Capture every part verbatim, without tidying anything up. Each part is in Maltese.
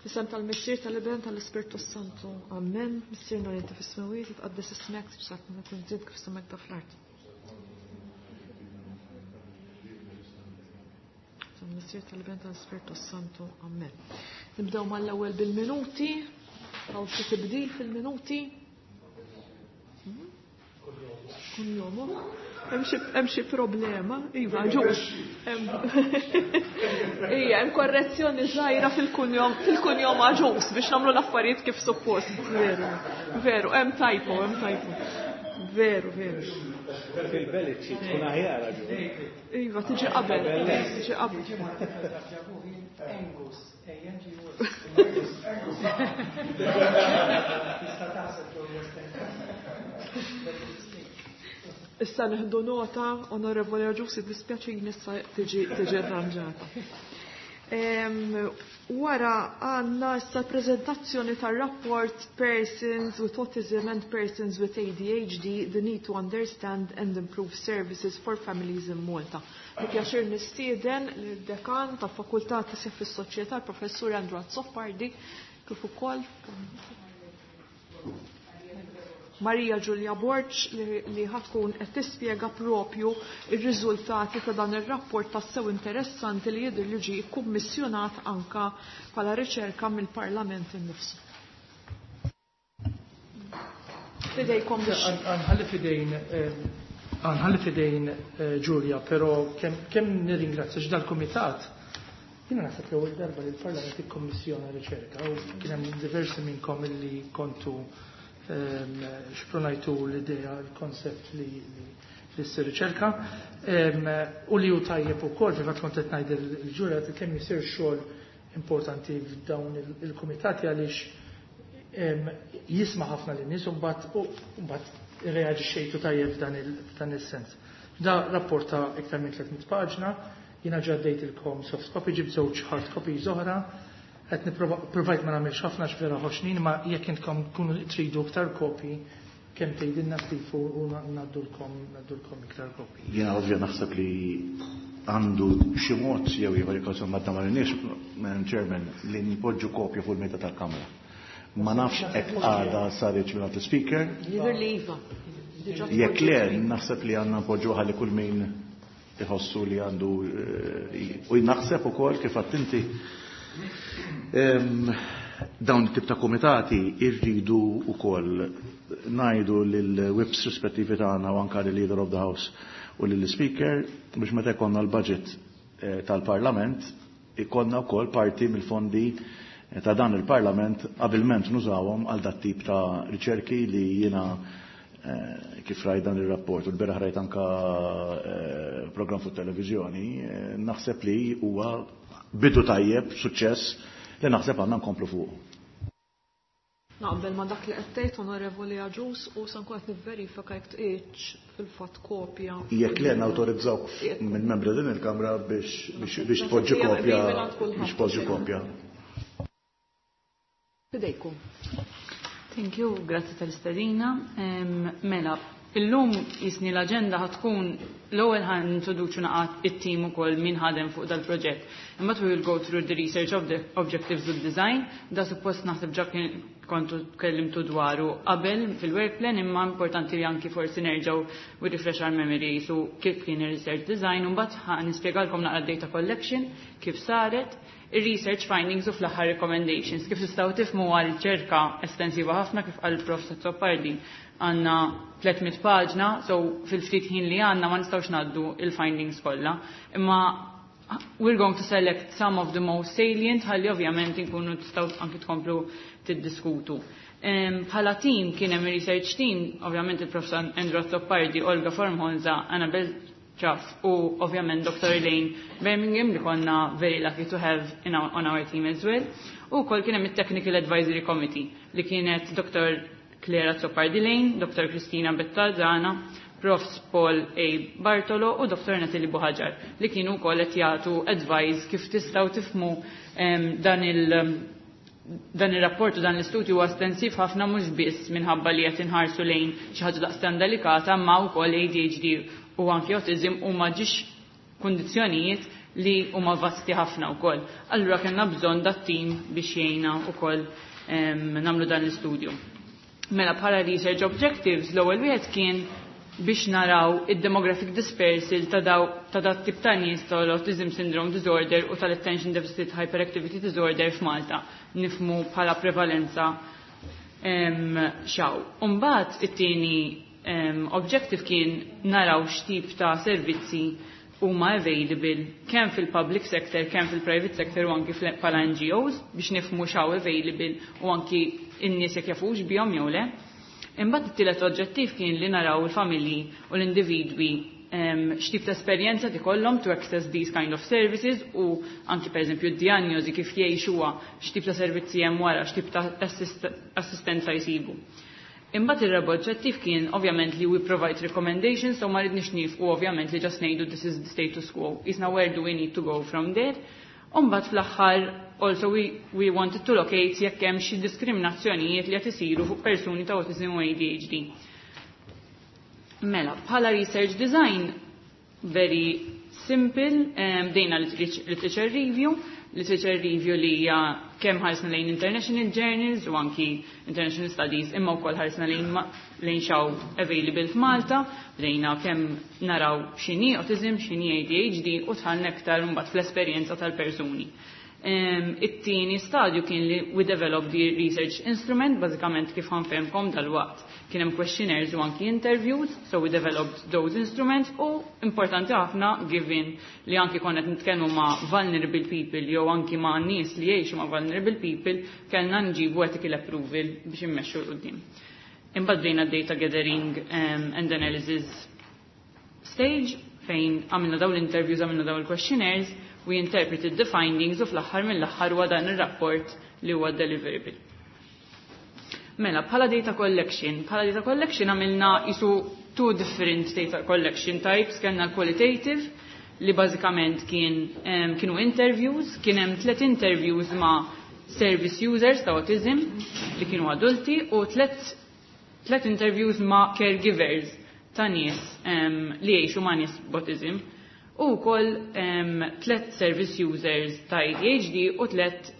F'isem tal-Missier, tal-Iben, tal-Ispirtu Santu. Amen. Missierna li inti fis-smewwiet, titqaddes ismek, tiġi tkun trid kif fis-sema fl-art. Tal-Missier, tal-Iben, tal-Ispirtu Santu. Amen. Nibdew mal-ewwel bil-minuti. Hawn xi tibdil fil-minuti? Kunjomu. Hemm xi problema? Iva, ġux. Ija, hemm korrezzjoni żgħira fil-kunjom fil-kunjom Agius biex nagħmlu l-affarijiet kif suppost. Veru, veru, hemm typo, hemm typo. Veru, veru. Fil-belit xi tkun aħjar Agius. Iva, tiġi qabel, tiġi qabel. Angus, A N G U S. Tista' taħseb ġo West End. Issa nieħdu nota, Onorevoli Agius, dispjaċini, issa tiġi tiġi arranġata. Wara għandna issa prezentazzjoni tar-rapport Persons with Autism and Persons with A D H D, The Need to Understand and Improve Services for Families in Malta. Bi pjaċir nistieden l-dekan tal-Fakultà ta' fis-Soċjetà, il-Professur Andrew Azzopardi, kif ukoll Maria Giulia Borg li, li ħatkun qed tispjega propju ir-riżultati ta' dan ir-rapport tassew interessanti li jidher li ġie kkummissjonat anka bħala riċerka mill-Parlament innifsu. Fidejkom biex. Nħalli fidejn nħalli fidejn eh, Giulia, però kemm kemm nirringrazzja dal-Kumitat. Jiena naħseb l-ewwel darba li l-Parlament ikkommissjona riċerka u kien hemm diversi minnkom illi kontu ehm, xprunajtu l-idea, il-koncept li li ssir riċerka. Ehm, u li hu tajjeb ukoll, fil-fatt kont qed ngħid il-Ġulja kemm jisir xogħol importanti f'dawn il-kumitati għaliex ehm, jisma' ħafna lin-nies u mbagħad u mbagħad irreaġixxejtu tajjeb f'dan is-sens. Da rapport ta' iktar minn tliet mitt paġna, jiena ġaddejtilkom soft copy, ġib żewġ hard copies oħra, qed provajt ma nagħmilx ħafna x'vera ħoxnin, ma jekk intkom tkunu tridu iktar kopji, kemm tgħidilna Steve u ngħaddulkom ngħaddulkom iktar kopji. Jiena ovvja naħseb li għandu xi mod jew ieħor jekk ma tagħmalniex, Madam Chairman, li npoġġu kopja fuq il-mejda tal-Kamra. Ma nafx hekk għada saritx minn speaker. Jidher li iva. Jekk le, naħseb li għandna npoġġu ħalli kull min iħossu li għandu eh, u naħseb ukoll kif inti dawn it-tip ta' komitati irridu ukoll ngħidu lill-whips rispettivi tagħna u anka lill-Leader of the House u lill-Speaker biex meta jkollna l-budget eh, tal-Parlament ikollna wkoll parti mill-fondi eh, ta' dan il-Parlament abilment nużawhom għal dat tip ta' riċerki li jiena eh, kif rajt dan il-rapport u l-beraħ rajt anka program fuq televizjoni, naħseb li huwa bidu tajjeb, suċċess li naħseb għandna nkomplu fuq. Naqbel ma dak li qed tgħid, Onorevoli Agius, u se nkun qed nivverifika jekk tqietx fil-fatt kopja. Jekk le nawtorizzawk minn membri din il-Kamra biex biex tpoġġi kopja biex tpoġġi kopja. Fidejkom. Thank you, grazzi tal-istedina. Mela, illum jisni l-agenda ħatkun l-ewwel ħan introduċu naqat it-team ukoll min ħadem fuq dal-proġett. Imbagħad we will go through the research of the objectives of design, da suppost naħseb ġa kontu tkellimtu dwaru qabel fil-work plan, imma importanti li anki forsi nerġgħu we refresh our memories u kif kien ir-research design, u mbagħad ħa nispjegalkom naqra data collection kif saret, il-research findings u fl-aħħar recommendations. Kif tistgħu tifhmu għal riċerka estensiva ħafna, kif qal Prof Azzopardi għandna tliet mitt paġna, so fil-ftit ħin li għandna ma nistgħux ngħaddu il-findings kollha. Imma we're going to select some of the most salient ħalli ovvjament inkunu tistgħu anki tkomplu tiddiskutu. Bħala team kien hemm research team, ovvjament il-Prof Andrew Azzopardi, Olga Formosa, Annabel Chaff u ovvjament Doctor Elaine Birmingham li konna very lucky to have in our, on our team as well. U kol kien hemm it-Technical Advisory Committee li kienet Doctor Claire Azzopardi Lane, Doctor Kristina Bettazana, Professor Paul A. Bartolo u Doctor Natalie Buhagiar li kienu wkoll qed jagħtu advice. Kif tistgħu tifhmu dan il- dan ir-rapport u dan l-istudju huwa estensiv ħafna, mhux biss minħabba li qed inħarsu lejn xi ħaġa daqstan delikata, ma wkoll A D H D u anki autism huma ġiex kundizzjonijiet li huma vasti ħafna wkoll. Allura kellna bżonn dat-tim biex jgħinna wkoll nagħmlu dan l-istudju. Mela, bħala research objectives, l-ewwel wieħed kien biex naraw id-demographic dispersal ta' daw ta' dat tip ta' nies tal-Autism Syndrome Disorder u tal-Attention Deficit Hyperactivity Disorder f'Malta, nifhmu bħala prevalenza x'hawn. Umbagħad it-tieni objective kien naraw x'tip ta' servizzi huma available kemm fil-public sector, kemm fil-private sector u anki bħala N G Os biex nifhmu x'hawn available u anki n-nies jekk jafux bihom jew le. Imbagħad it-tielet oġġettiv kien li naraw il-familji u l-individwi x'tip ta' esperjenza ikollhom to access these kind of services u anki, pereżempju, d-diagnosi kif jgħixuha, x'tip ta' servizzi hemm wara, x'tip ta' assistenza jsibu. Imbagħad ir-raba' oġġettiv kien ovvjament li we provide recommendations, so ma ridniex nieqfu ovvjament li just ngħidu "This is the status quo." Isna where do we need to go from there? Umbagħad fl-aħħar also we, we wanted to locate jekk hemm xi diskriminazzjonijiet li qed isiru fuq persuni ta' autism u A D H D. Mela, bħala research design, very simple, bdejna literature review, literature review li hija kemm ħarsna lejn international journals u anki international studies, imma wkoll ħarsna lejn lejn x'hawn available f'Malta, bdejna kemm naraw x'inhi autism, x'inhi A D H D u dħalna aktar mbagħad fl-esperjenza tal-persuni. It-tieni stadju kien li we developed the research instrument, bażikament kif ħa nfehemkom dal-waqt. Kien hemm questionnaires u anki interviews, so we developed those instruments u importanti ħafna, given li anki konna qed nitkellmu ma' vulnerable people jew anki ma' nies li jgħixu ma' vulnerable people, kellna nġibu ethical approval biex immexxu 'l quddiem. Imbagħad bdejna data gathering um, and analysis stage fejn għamilna dawn l-interviews, għamilna dawn il-questionnaires, we interpreted the findings u fl-aħħar mill-aħħar huwa dan ir-rapport li huwa deliverable. Mela, bħala data collection, bħala data collection għamilna isu two different data collection types. Kellna l-qualitative li bażikament kien um, kienu interviews, kien hemm tliet interviews ma' service users ta' autism li kienu adulti u tliet tliet interviews ma' caregivers ta' nies um, li jgħixu ma' nies b'autism u wkoll um, tlet service users ta' A D H D u tlet,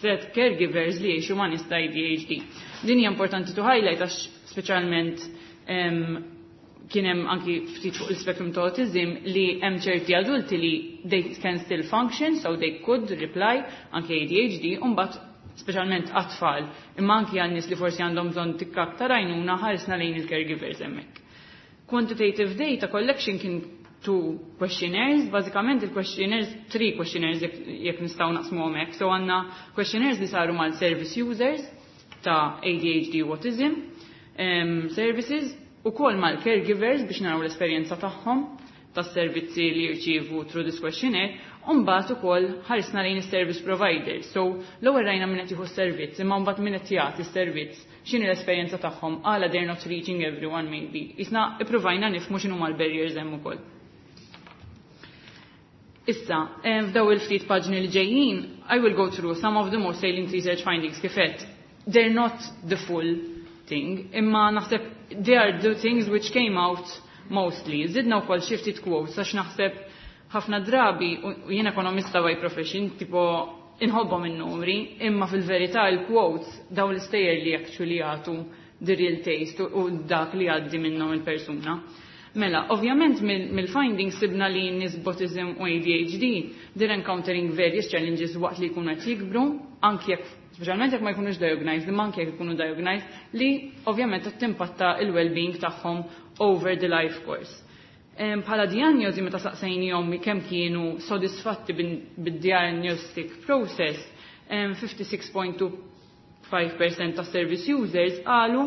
tlet caregivers li jgħixu ma' nies ta' A D H D. Din hija importanti to highlight għax speċjalment um, kien hemm anki ftit fuq il-spectrum ta' autism li hemm ċerti adulti li they can still function, so they could reply, anki A D H D, u mbagħad speċjalment għat-tfal, imma anki għal nies li forsi għandhom bżonn tikka aktar għajnuna, ħarisna lejn il-caregivers hemmhekk. Quantitative data collection kien two questionnaires, bażikament il-questionnaires, three questionnaires jekk nistgħu naqsmu hekk. So għandna questionnaires li saru mal-service users ta' A D H D u autism um, services u kol mal-caregivers biex naraw l-esperjenza tagħhom tas servizzi li jirċievu through this questionnaire, u mbagħad ukoll ħarisna lejn is-service provider. So l-ewwel rajna min qed jieħu s-servizz, imma mbagħad min qed jagħti s-servizz, x'inhi l-esperjenza tagħhom, għala they're not reaching everyone maybe. Isna ippruvajna nifhmu x'inhu l-barriers hemm ukoll. Issa, f'daw il-ftit paġni li ġejjin, I will go through some of the most salient research findings kif għedt. They're not the full thing, imma naħseb they are the things which came out mostly. Zidna wkoll xi ftit quotes għax naħseb ħafna drabi, u jien ekonomista by profession, tipo inħobbhom in-numri, imma fil-verità il-quotes daw l-istejjer li actually jagħtu the real taste u dak li għaddi minnhom il-persuna. Mela, ovvjament mill-findings sibna li nies b'autism u A D H D they're encountering various challenges waqt li jkunu qed jikbru, anki jekk, speċjalment jekk ma jkunux diagnosed, imma anki jekk ikunu diagnosed, li ovvjament qed timpatta il-well-being tagħhom over the life course. Bħala diagnosi, meta saqsejnihom kemm kienu sodisfatti bid-diagnostic process, fifty-six point two five percent ta' service users qalu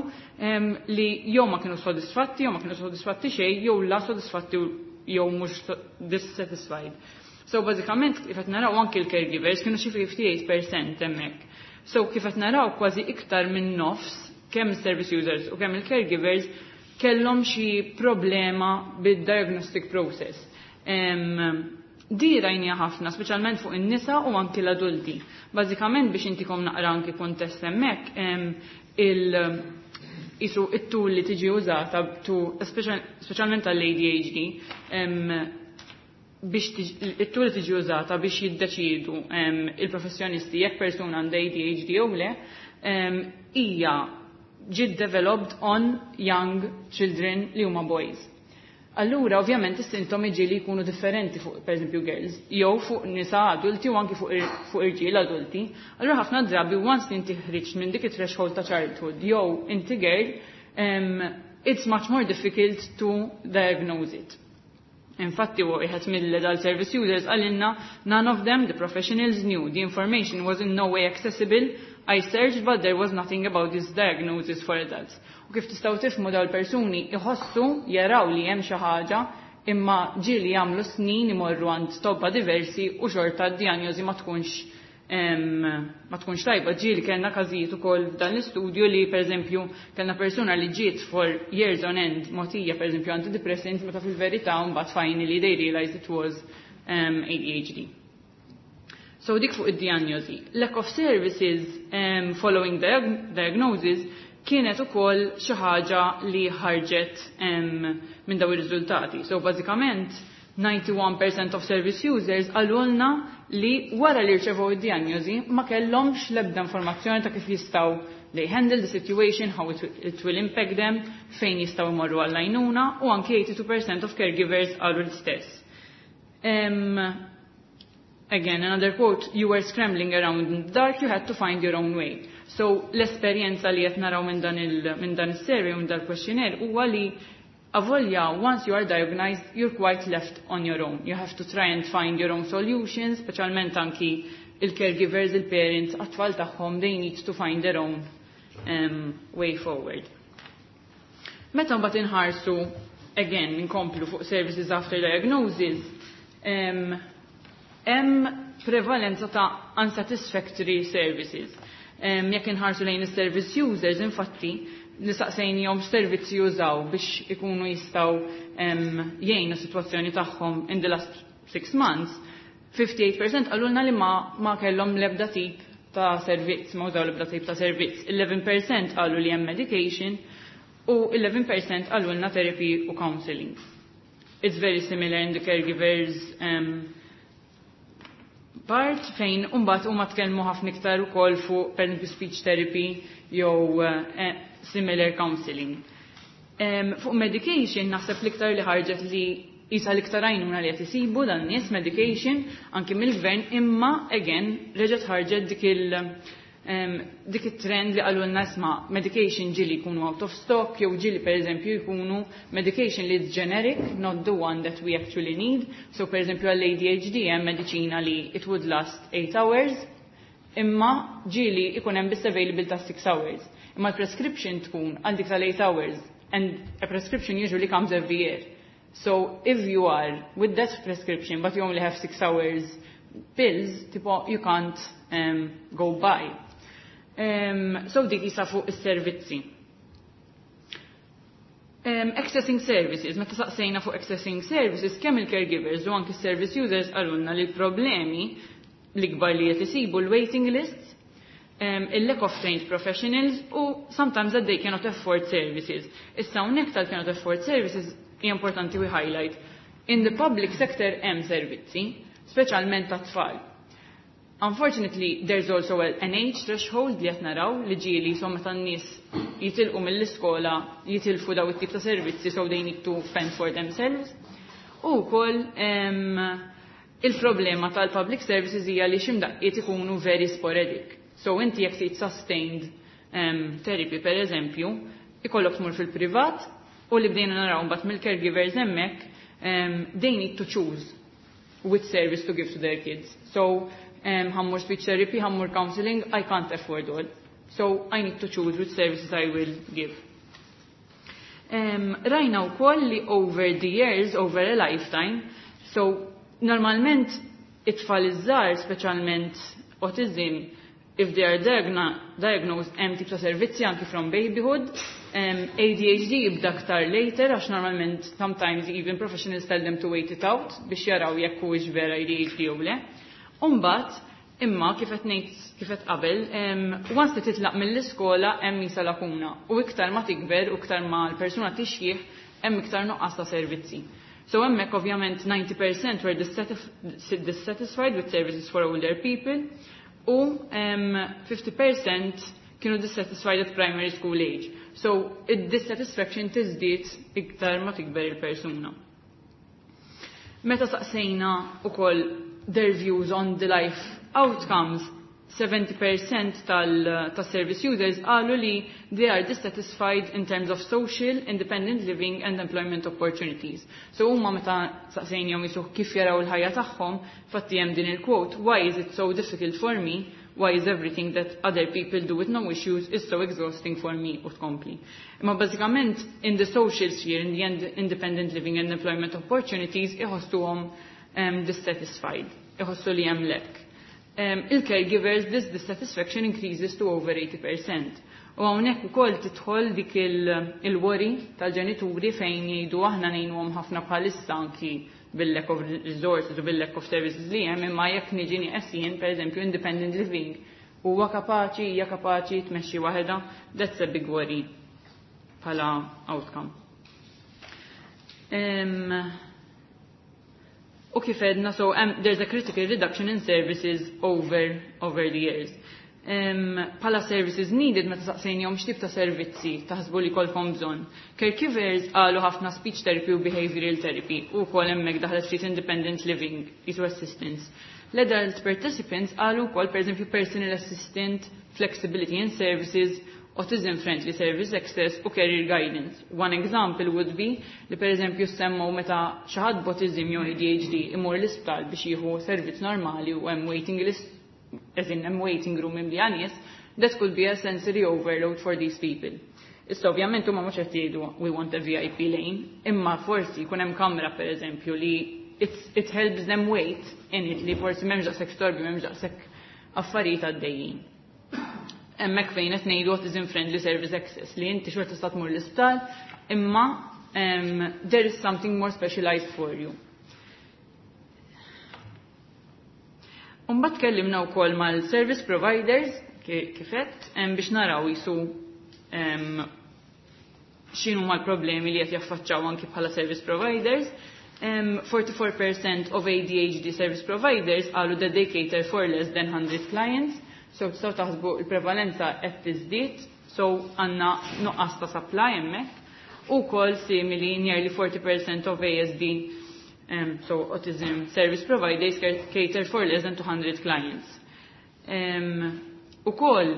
li jew ma kienu sodisfatti, jew ma kienu sodisfatti xejn, jew la sodisfatti jew mhux dissatisfied. So bażikament kif qed naraw anki l-caregivers kienu xi fifty-eight percent hemmhekk. So kif qed naraw, kważi iktar minn nofs kemm service users u kemm il-caregivers kellhom xi problema bid-diagnostic process. Um, di rajnija ħafna, speċjalment fuq in-nisa u anki l-adulti. Bażikament biex intikom naqra anki kuntest hemmhekk, il isu it-tool li tiġi użata tu speċjalment għall-A D H D. Biex it-tool tiġi użata biex jiddeċidu il-professjonisti jekk persuna għandha A D H D jew le, hija ġiet developed on young children li huma boys. Allura, ovvjament, is-sintomi ġieli jkunu differenti fuq, per eżempju, girls, jew fuq nisa adulti u anki fuq, fuq irġiel adulti. Allura, ħafna drabi, once inti ħriġt minn dik it-threshold ta' childhood, jew inti girl, um, it's much more difficult to diagnose it. Infatti, u wieħed mill-adult service users qalilna, "None of them, the professionals, knew. The information was in no way accessible. I searched, but there was nothing about this diagnosis for adults." U kif tistgħu tifhmu, daw l-persuni iħossu, jaraw li hemm xi ħaġa, imma ġieli jagħmlu snin imorru għand tobba diversi u xorta d-diagnosi ma tkunx ma tkunx tajba. Ġieli kellna każijiet ukoll f'dan l-istudju li, pereżempju, kellna persuna li ġiet for years on end mogħtija, pereżempju, antidepressants, meta fil-verità mbagħad finally they realized it was um, A D H D. So dik fuq id-diagnosi. Lack of services um, following diag diagnosis kienet ukoll xi ħaġa li ħarġet um, minn daw ir-riżultati. So bażikament disgħa u disgħin fil-mija of service users qalulna li wara li rċevew id-diagnosi ma kellhomx l-ebda informazzjoni ta' kif jistgħu they handle the situation, how it, it will impact them, fejn jistgħu jmorru għall-għajnuna, u anke tnejn u tmenin fil-mija of caregivers qalu l-istess. Um, again, another quote, "You were scrambling around in the dark, you had to find your own way." So l-esperjenza li qed naraw minn dan il minn dan is-survey u minn dan il-questionnaire huwa li avolja once you are diagnosed, you're quite left on your own. You have to try and find your own solutions, speċjalment anki il-caregivers, il-parents, għat-tfal tagħhom, they need to find their own um, way forward. Meta mbagħad inħarsu, again, inkomplu fuq services after diagnosis, um, hemm prevalenza ta' unsatisfactory services. Um, jekk inħarsu lejn is-service users, infatti, li saqsejnihom servizzi jużaw biex ikunu jistgħu um, jgħinu situazzjoni tagħhom in the last six months, tmien u ħamsin fil-mija qalulna li ma, ma kellhom l-ebda tip ta' servizz, ma użaw l-ebda tip ta' servizz. għaxra fil-mija qalu li hemm medication u għaxra fil-mija qalulna therapy u counseling. It's very similar in the caregivers um, part, fejn mbagħad huma tkellmu ħafna iktar ukoll fuq, per speech therapy jew uh, similar counseling. Um, fuq medication naħseb l-iktar li ħarġet li jisa l-iktar għajnuna li qed isibu dan nies medication anki mill-gvern, imma again reġgħet ħarġet dik il- um, dik it-trend li qalulna, isma', medication ġieli jkunu out of stock jew ġieli, per eżempju, jkunu medication li is generic, not the one that we actually need. So, per eżempju, għall-A D H D hemm mediċina li it would last eight hours, imma ġieli ikun hemm biss available ta' six hours. Imma l-prescription tkun għal dik tal-eight hours, and a prescription usually comes every year. So if you are with that prescription but you only have six hours pills, tipo, you can't um, go by. Um, so dik jisa fuq is-servizzi. Um, accessing services, meta saqsejna fuq accessing services, kemm il-caregivers u anki service users qalulna li l-problemi l-ikbar li qed isibu l-waiting lists, um, il-lack of trained professionals u sometimes that they cannot afford services. Issa hawnhekk tal-cannot afford services hija importanti we highlight. In the public sector hemm servizzi, speċjalment tat-tfal. Unfortunately, there's also an age threshold li qed naraw li ġieli so meta n-nies jitilqu mill-iskola jitilfu daw it-tip ta' servizzi, so they need to fend for themselves. U wkoll um, il-problema tal-public services hija li ximdaqqiet ikunu very sporadic. So inti jekk trid sustained um, therapy, per eżempju, ikollok tmur fil-privat, u li bdejna naraw mbagħad mill-caregivers hemmhekk, um, they need to choose which service to give to their kids. So um, ħa mmur speech therapy, ħa mmur counseling, I can't afford all. So I need to choose which services I will give. Um, rajna wkoll li over the years, over a lifetime, so normalment it-tfal iż-żgħar, speċjalment autism, if they are diagno diagnosed, hemm tip ta' servizzi anki from babyhood. Um, A D H D jibda aktar later, għax normalment sometimes even professionals tell them to wait it out biex jaraw jekk huwiex vera A D H D jew le. Umbagħad, imma kif qed ngħid, kif qed qabel, um, once li titlaq mill-iskola hemm jisa lakuna u iktar ma tikber u iktar ma l-persuna tixjih, hemm iktar nuqqas ta' servizzi. So hemmhekk ovvjament ninety percent were dissatisfied with services for older people u um, fifty percent kienu dissatisfied at primary school age. So id-dissatisfaction tiżdied iktar ma tikber il-persuna. Meta saqsejna ukoll their views on the life outcomes, seventy percent tal-service users qalu li they are dissatisfied in terms of social, independent living and employment opportunities. So huma meta saqsejnihom jisuh kif jaraw il-ħajja tagħhom, fatti hemm din il-quote, "Why is it so difficult for me? Why is everything that other people do with no issues is so exhausting for me?" U tkompli. Imma bażikament in the social sphere, in the independent living and employment opportunities, iħossuhom um, dissatisfied, iħossu li hemm lack. Um, il-caregivers, this dissatisfaction increases to over eighty percent. U hawnhekk ukoll tidħol dik il-worry tal-ġenituri fejn jgħidu aħna ngħinuhom ħafna bħalissa anki bil-lack of resources u bil-lack of services li hemm, imma jekk niġi nieqes jien, pereżempju, independent living, huwa kapaċi, hija kapaċi tmexxi waħedha? That's a big worry bħala outcome. Um, u kif għedna, so um, there's a critical reduction in services over, over the years. Um, bħala services needed, meta saqsejnihom x'tip ta' servizzi taħsbu li jkollkom bżonn, caregivers qalu ħafna speech therapy u behavioral therapy u wkoll hemmhekk daħlet ftit independent living, jisu assistance. L-adult participants qalu wkoll, pereżempju, personal assistant, flexibility in services, autism friendly service access u career guidance. One example would be li per eżempju semmu meta xi ħadd b'autism jew A D H D imur l-isptar biex jieħu servizz normali u hemm waiting list, as in hemm waiting room imli nies, that could be a sensory overload for these people. Issa ovvjament huma mhux qed jgħidu "We want a V I P lane", imma forsi jkun hemm kamra, per eżempju, li it helps them wait in it, li forsi m'hemmx daqshekk storbi, m'hemmx daqshekk affarijiet għaddejjin. Hemmhekk fejn qed ngħidu autism friendly service access, li inti xorta tista' tmur l-isptar imma um, there is something more specialized for you. Imbagħad tkellimna wkoll mal-service providers kif għedt biex naraw jisu x'inhu mal-problemi li qed jaffaċċaw anki bħala service providers. Um, forty-four percent of A D H D service providers qalu that they cater for less than one hundred clients, so tistgħu taħsbu il-prevalenza qed tiżdied, so għandna nuqqas ta' supply hemmhekk. Ukoll simili, nearly forty percent of A S D, um, so autism service providers, cater for less than two hundred clients. Um, ukoll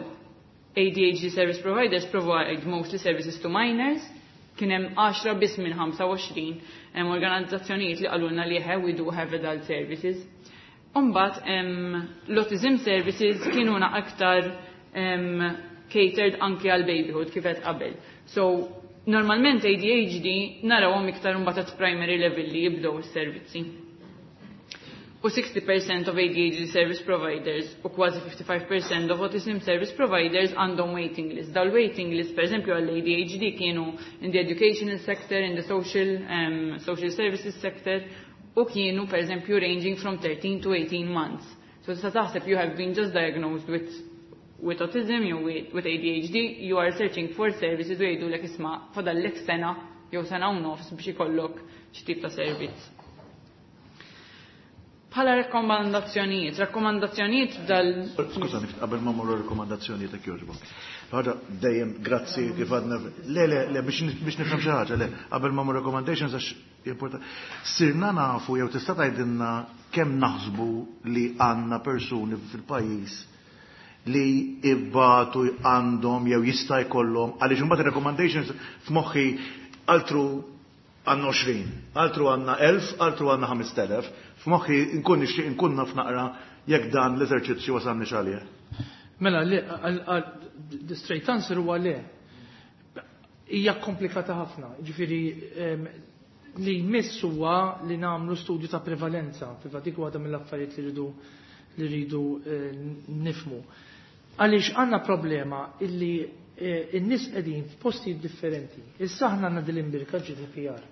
A D H D service providers provide mostly services to minors, kien hemm għaxra biss minn ħamsa u għoxrin hemm organizzazzjonijiet li qalulna li we do have adult services. Imbagħad l-autism services kienu aktar um, catered anki għal babyhood kif qed qabel. So normalment A D H D narawhom iktar imbagħad at primary level li jibdew is-servizzi. U sixty percent of A D H D service providers u kważi fifty-five percent of autism service providers għandhom waiting list. Daw waiting list, per eżempju, għall A D H D kienu in the educational sector, in the social, um, social services sector, u kienu, per eżempju, ranging from thirteen to eighteen months. So tista' taħseb, you have been just diagnosed with with autism jew with, with A D H D, you are searching for services u jgħidulek, "Isma', fadallek sena jew sena u nofs biex ikollok xi tip ta' servizz." Bħala rakkomandazzjonijiet, rakkomandazzjonijiet dal. Skużani, qabel ma mmorru rakkomandazzjonijiet, jekk jogħġbok. Ħaġa dejjem, grazzi kif għadna. Le, le, le, biex nifhem xi ħaġa, le, qabel ma mmorru recommendations għax important. Sirna nafu jew tista' tgħidilna kemm naħsbu li għandna persuni fil-pajjiż li ibbatu għandhom jew jista' jkollhom, għaliex imbagħad recommendations f'moħħi altru għandna għoxrin, altru għandna elf, altru għandna ħamest elef, f'moħħi nkun nixtieq nkun naf naqra jekk dan l-eżerċizzju wasalni għalih. Mela, le, the straight answer huwa le. Hija komplikata ħafna, ġifieri li jmiss huwa li nagħmlu studju ta' prevalenza, fil-fatt dik waħda mill-affarijiet li rridu li rridu eh, nifhmu. Għaliex għandna problema illi eh, n-nies qegħdin f'postijiet differenti. Issa aħna għandna dil-imbirka G D P R.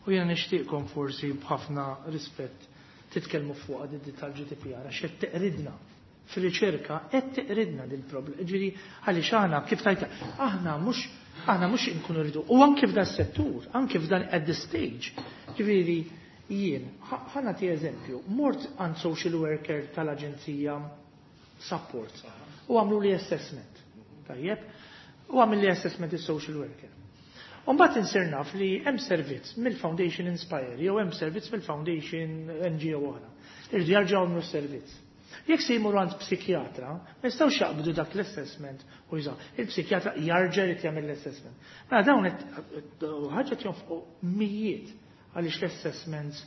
U jiena nixtieqkom forsi b'ħafna rispett titkellmu fuq di tal-G D P R għax qed teqridna fir-riċerka, qed teqridna dil problema. Ġifieri għaliex aħna kif tajta aħna mhux aħna mhux inkunu rridu. U anke f'dan settur, anke f'dan at this stage, Ġifieri jien, ħa nagħti eżempju, mort għand social worker tal-aġenzija support u għamlu li assessment. Tajjeb, u għamil li assessment is-social worker. Umbagħad insir naf li hemm servizz mill-Foundation Inspire jew hemm servizz mill-Foundation N G O oħra. Irridu jarġgħu għamlu servizz. Jekk se jmur għand psikjatra, ma jistgħux jaqbdu dak l-assessment u jużaw. Il-psikjatra jarġa' jrid jagħmel l-assessment. Mela dawn ħaġa jonfqu mijiet għaliex l-assessments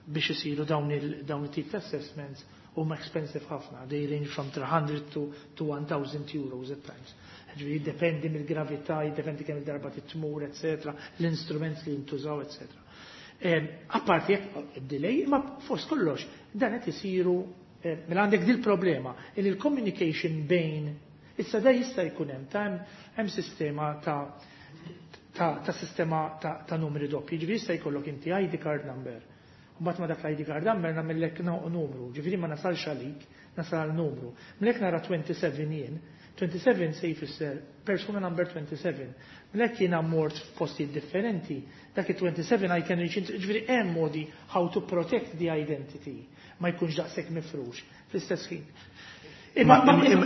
biex isiru dawn il-tip ta' assessments huma expensive ħafna. They range from three hundred to, to one thousand euros at times. Ġifieri jiddependi mill-gravità, jiddependi kemm il-darba titmur, et cetera, l-instruments li jintużaw, et cetera. Apparti jekk delay, ma fost kollox, dan qed isiru. Mela għandek dil problema il il-communication bejn issa da jista' jkun hemm ta' hemm sistema ta' ta', ta sistema ta', ta' numri doppji, ġifieri jista' jkollok inti I D card number. U mbagħad ma dak l-I D card number nagħmellek numru, ġifieri ma nasalx għalik, nasal għal numru. Mlek nara twenty-seven jien, twenty-seven se jfisser persuna number twenty-seven. Mlek jiena mort f'postijiet differenti, dak il-twenty-seven I can reach, ġifieri hemm modi how to protect the identity ma jkunx daqshekk mifrux fl-istess ħin. Imma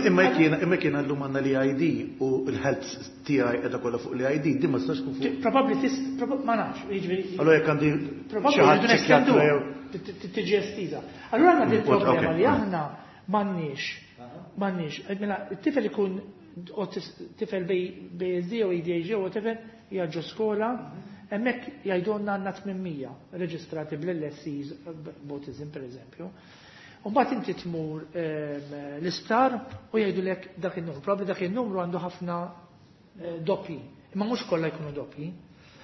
imma jekk għallum għandna l-I D u l-health tiegħi qiegħda kollha fuq l-I D, din ma tistax tkun fuq. Probabbli tis, ma nafx, jiġifieri. Allora jekk għandi xi ħadd psikjatra jew tiġi estiża. Allura għandna din problema li aħna m'għandniex m'għandniex. Mela, it-tifel ikun tifel B A S D u A D H D u whatever, jaġġu skola, hemmhekk jgħidulna għandna tmien mija reġistrati bl-L S Cs b'autism, per eżempju. U mbagħad inti tmur l-isptar u jgħidulek dak il-numru. Probabbli dak il-numru għandu ħafna eh, doppji, imma mhux kollha jkunu doppji.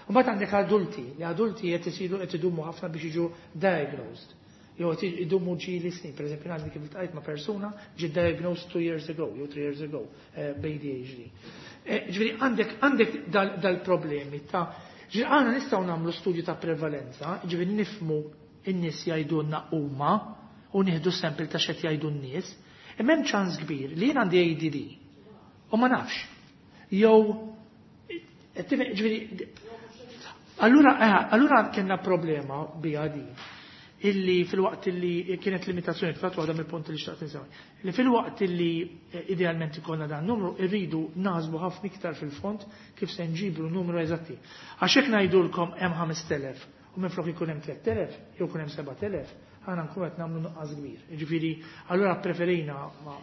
U mbagħad għandek adulti, li adulti qed isiru qed idumu ħafna biex jiġu diagnosed. Jew qed idumu ġieli snin. Per eżempju, għandi kif iltqajt ma' persuna ġi diagnosed two years ago, jew three years ago, eh, b'A D H D. Eh, ġifieri għandek għandek dal-problemi ta' ġifieri għandna nistgħu nagħmlu studju ta' prevalenza, ġifieri nifmu in-nies jgħidulna huma u nieħdu sample ta' x'qed jgħidu n-nies, imma hemm ċans kbir li jien għandi A D D u ma nafx. Jew ġifieri allura eh, allura kellna problema biha di illi fil-waqt illi kienet limitazzjoni, fatt waħda mill-punti li xtaqt insemmi, li fil-waqt illi eh, idealment ikollna dan numru, irridu naħsbu ħafna iktar fil-fond kif se nġibru numru eżatti. Għax hekk ngħidulkom hemm ħamest elef u minflok ikun hemm tlett elef jew ikun hemm seba' telef, aħna nkunu qed nagħmlu nuqqas kbir. Jiġifieri allura preferejna ma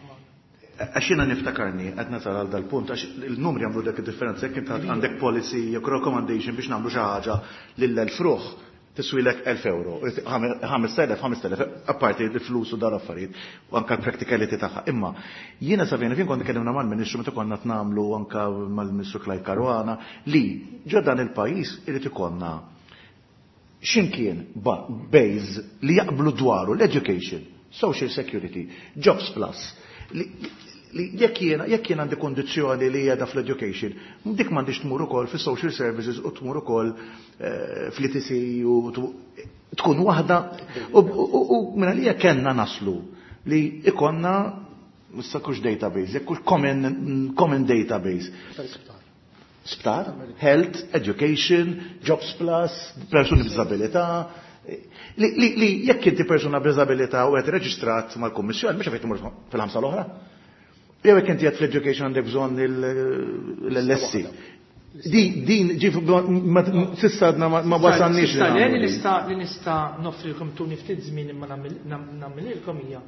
Għax jiena niftakarni, qed nasal għal dal-punt, għax il-numri għamlu dak il-differenza, jekk inti għandek policy jew recommendation biex nagħmlu xi ħaġa lil elf ruħ, tiswilek elf euro, ħamest elef, ħamest elef, apparti l-flus u dar affarijiet, u anka l-practicality tagħha. Imma jiena sa fejn kont tkellimna mal-Ministru meta konna nagħmlu anka mal-Ministru Clyde Caruana li ġo dan il-pajjiż irid ikollna x'imkien base li jaqblu dwaru l-education, social security, jobs plus, li li jekk jiena jekk jien għandi kondizzjoni li qiegħda fl-education, dik m'għandix tmur ukoll fis-social services u tmur ukoll eh, fl-E T C u tkun waħda u minn għalija kellna naslu li ikonna issa kux database, jekk kux common, common database. Sptar, health, education, jobs plus, persuni b'disabilità, li, li, li jekk inti persuna b'disabilità u qed reġistrat mal-Kummissjoni, mhux qed tmur fil-ħamsa l-oħra. Jew jekk inti qed fl-education għandek bżonn l-L S C. Di, din, ġif, s'issa għadna ma wasalniex. Li nista' li nista' noffrilkom tuni ftit żmien imma nagħmililkom hija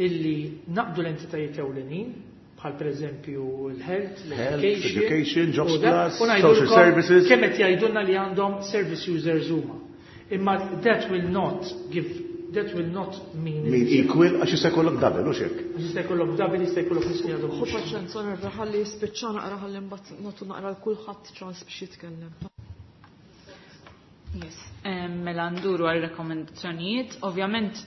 illi naqdu l-entitajiet ewlenin bħal per eżempju l-health, l-education, jobs plus, social services. Kemm qed jgħidulna li għandhom service users huma. Imma that will not give that will not mean Mean equal, għax jista' jkollok double, u xek. Għax jista' jkollok double, jista' jkollok nies li għadhom. Ħu paċenza, nerva, ħalli jispiċċa naqra, ħalli mbagħad nagħtu naqra l kulħadd ċans biex jitkellem. Yes, mela nduru għal rekomendazzjonijiet. Ovvjament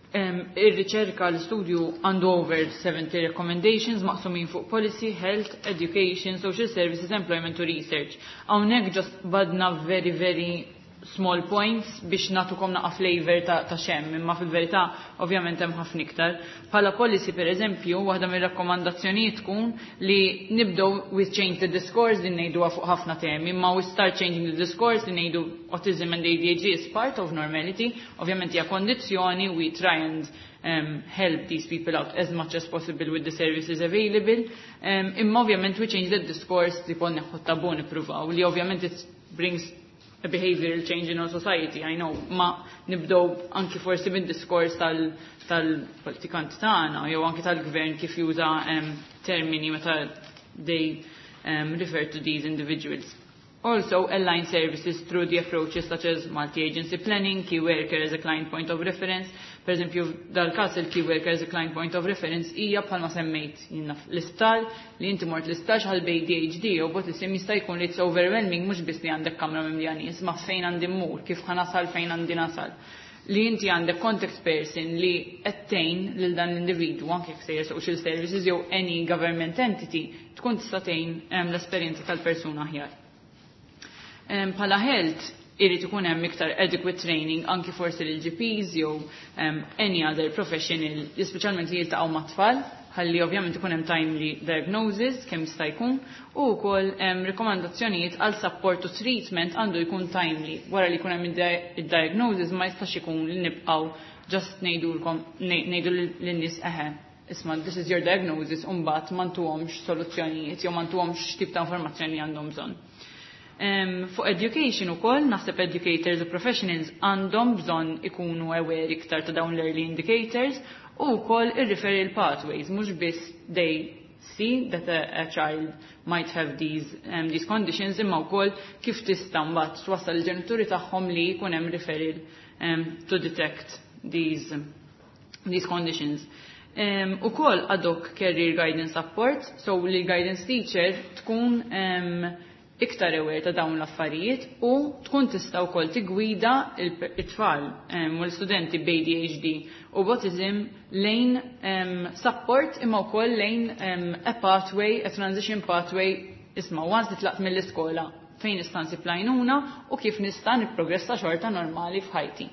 ir-riċerka, l-studju għandu over seventy recommendations maqsumin fuq policy, health, education, social services, employment u research. Hawnhekk just badna very, very small points biex nagħtukom naqa flavor ta', ta x'hemm, imma fil-verità ovvjament hemm ħafna iktar. Bħala policy, per eżempju, waħda mir-rakkomandazzjonijiet tkun li nibdew with change the discourse, li ngħiduha fuq ħafna temi, imma we start changing the discourse li ngħidu autism and A D H D is part of normality. Ovvjament hija kondizzjoni, we try and um, help these people out as much as possible with the services available. Um, imma ovvjament we change the discourse, tipo neħħu tabu, nippruvaw li ovvjament it brings a behavioral change in our society, I know, ma nibdow anki forsi mid-diskors tal-politikanti tagħna jew anki tal-gvern kif juża um, termini meta they um, refer to these individuals. Also, align services through the approaches such as multi-agency planning, key worker as a client point of reference. Per eżempju, dal-kas il-key worker as a client point of reference hija bħalma semmejt jiena l-isptar, li inti mort l-isptar għal A D H D u autism, jista' jkun li it's overwhelming, mhux biss li għandek kamra mimlija nies, ma fejn għandi mmur, kif ħa nasal fejn għandi nasal. Li inti għandek contact person li qed tgħin lil dan l-individwu, anke jekk sejjer social services jew any government entity, tkun tista' tgħin l-esperjenza tal-persuna aħjar. Bħala health, irid ikun hemm iktar adequate training anki forsi lil G Ps jew um, any other professional, speċjalment li jiltaqgħu mat-tfal, ħalli ovvjament ikun hemm timely diagnosis kemm jista' jkun, u wkoll um, rekomandazzjonijiet għal support u treatment għandu jkun timely. Wara li jkun hemm id-diagnosis, ma jistax ikun li nibqgħu just ngħidulkom, ngħidu lin-nies, "Eħe, isma', this is your diagnosis," u mbagħad ma ntuhomx soluzzjonijiet jew ma ntuhomx tip ta' informazzjoni li għandhom bżonn. Um, fuq education ukoll, naħseb educators u professionals għandhom bżonn ikunu aware iktar ta' dawn l-early indicators u wkoll ir-referral pathways, mhux biss they see that a, a child might have these, um, these conditions, imma wkoll kif tista' mbagħad twassal il-ġenituri tagħhom li jkun hemm referral um, to detect these, these conditions. Um, u koll ad hoc career guidance support, so li guidance teacher tkun um, iktar aware ta' dawn l-affarijiet u tkun tista' wkoll tigwida it-tfal u l-studenti b'A D H D u autism lejn um, support, imma wkoll lejn um, a pathway, a transition pathway, isma', once titlaqt mill-iskola, fejn nista' nsib l-għajnuna u kif nista' nipprogressa xorta normali f'ħajti.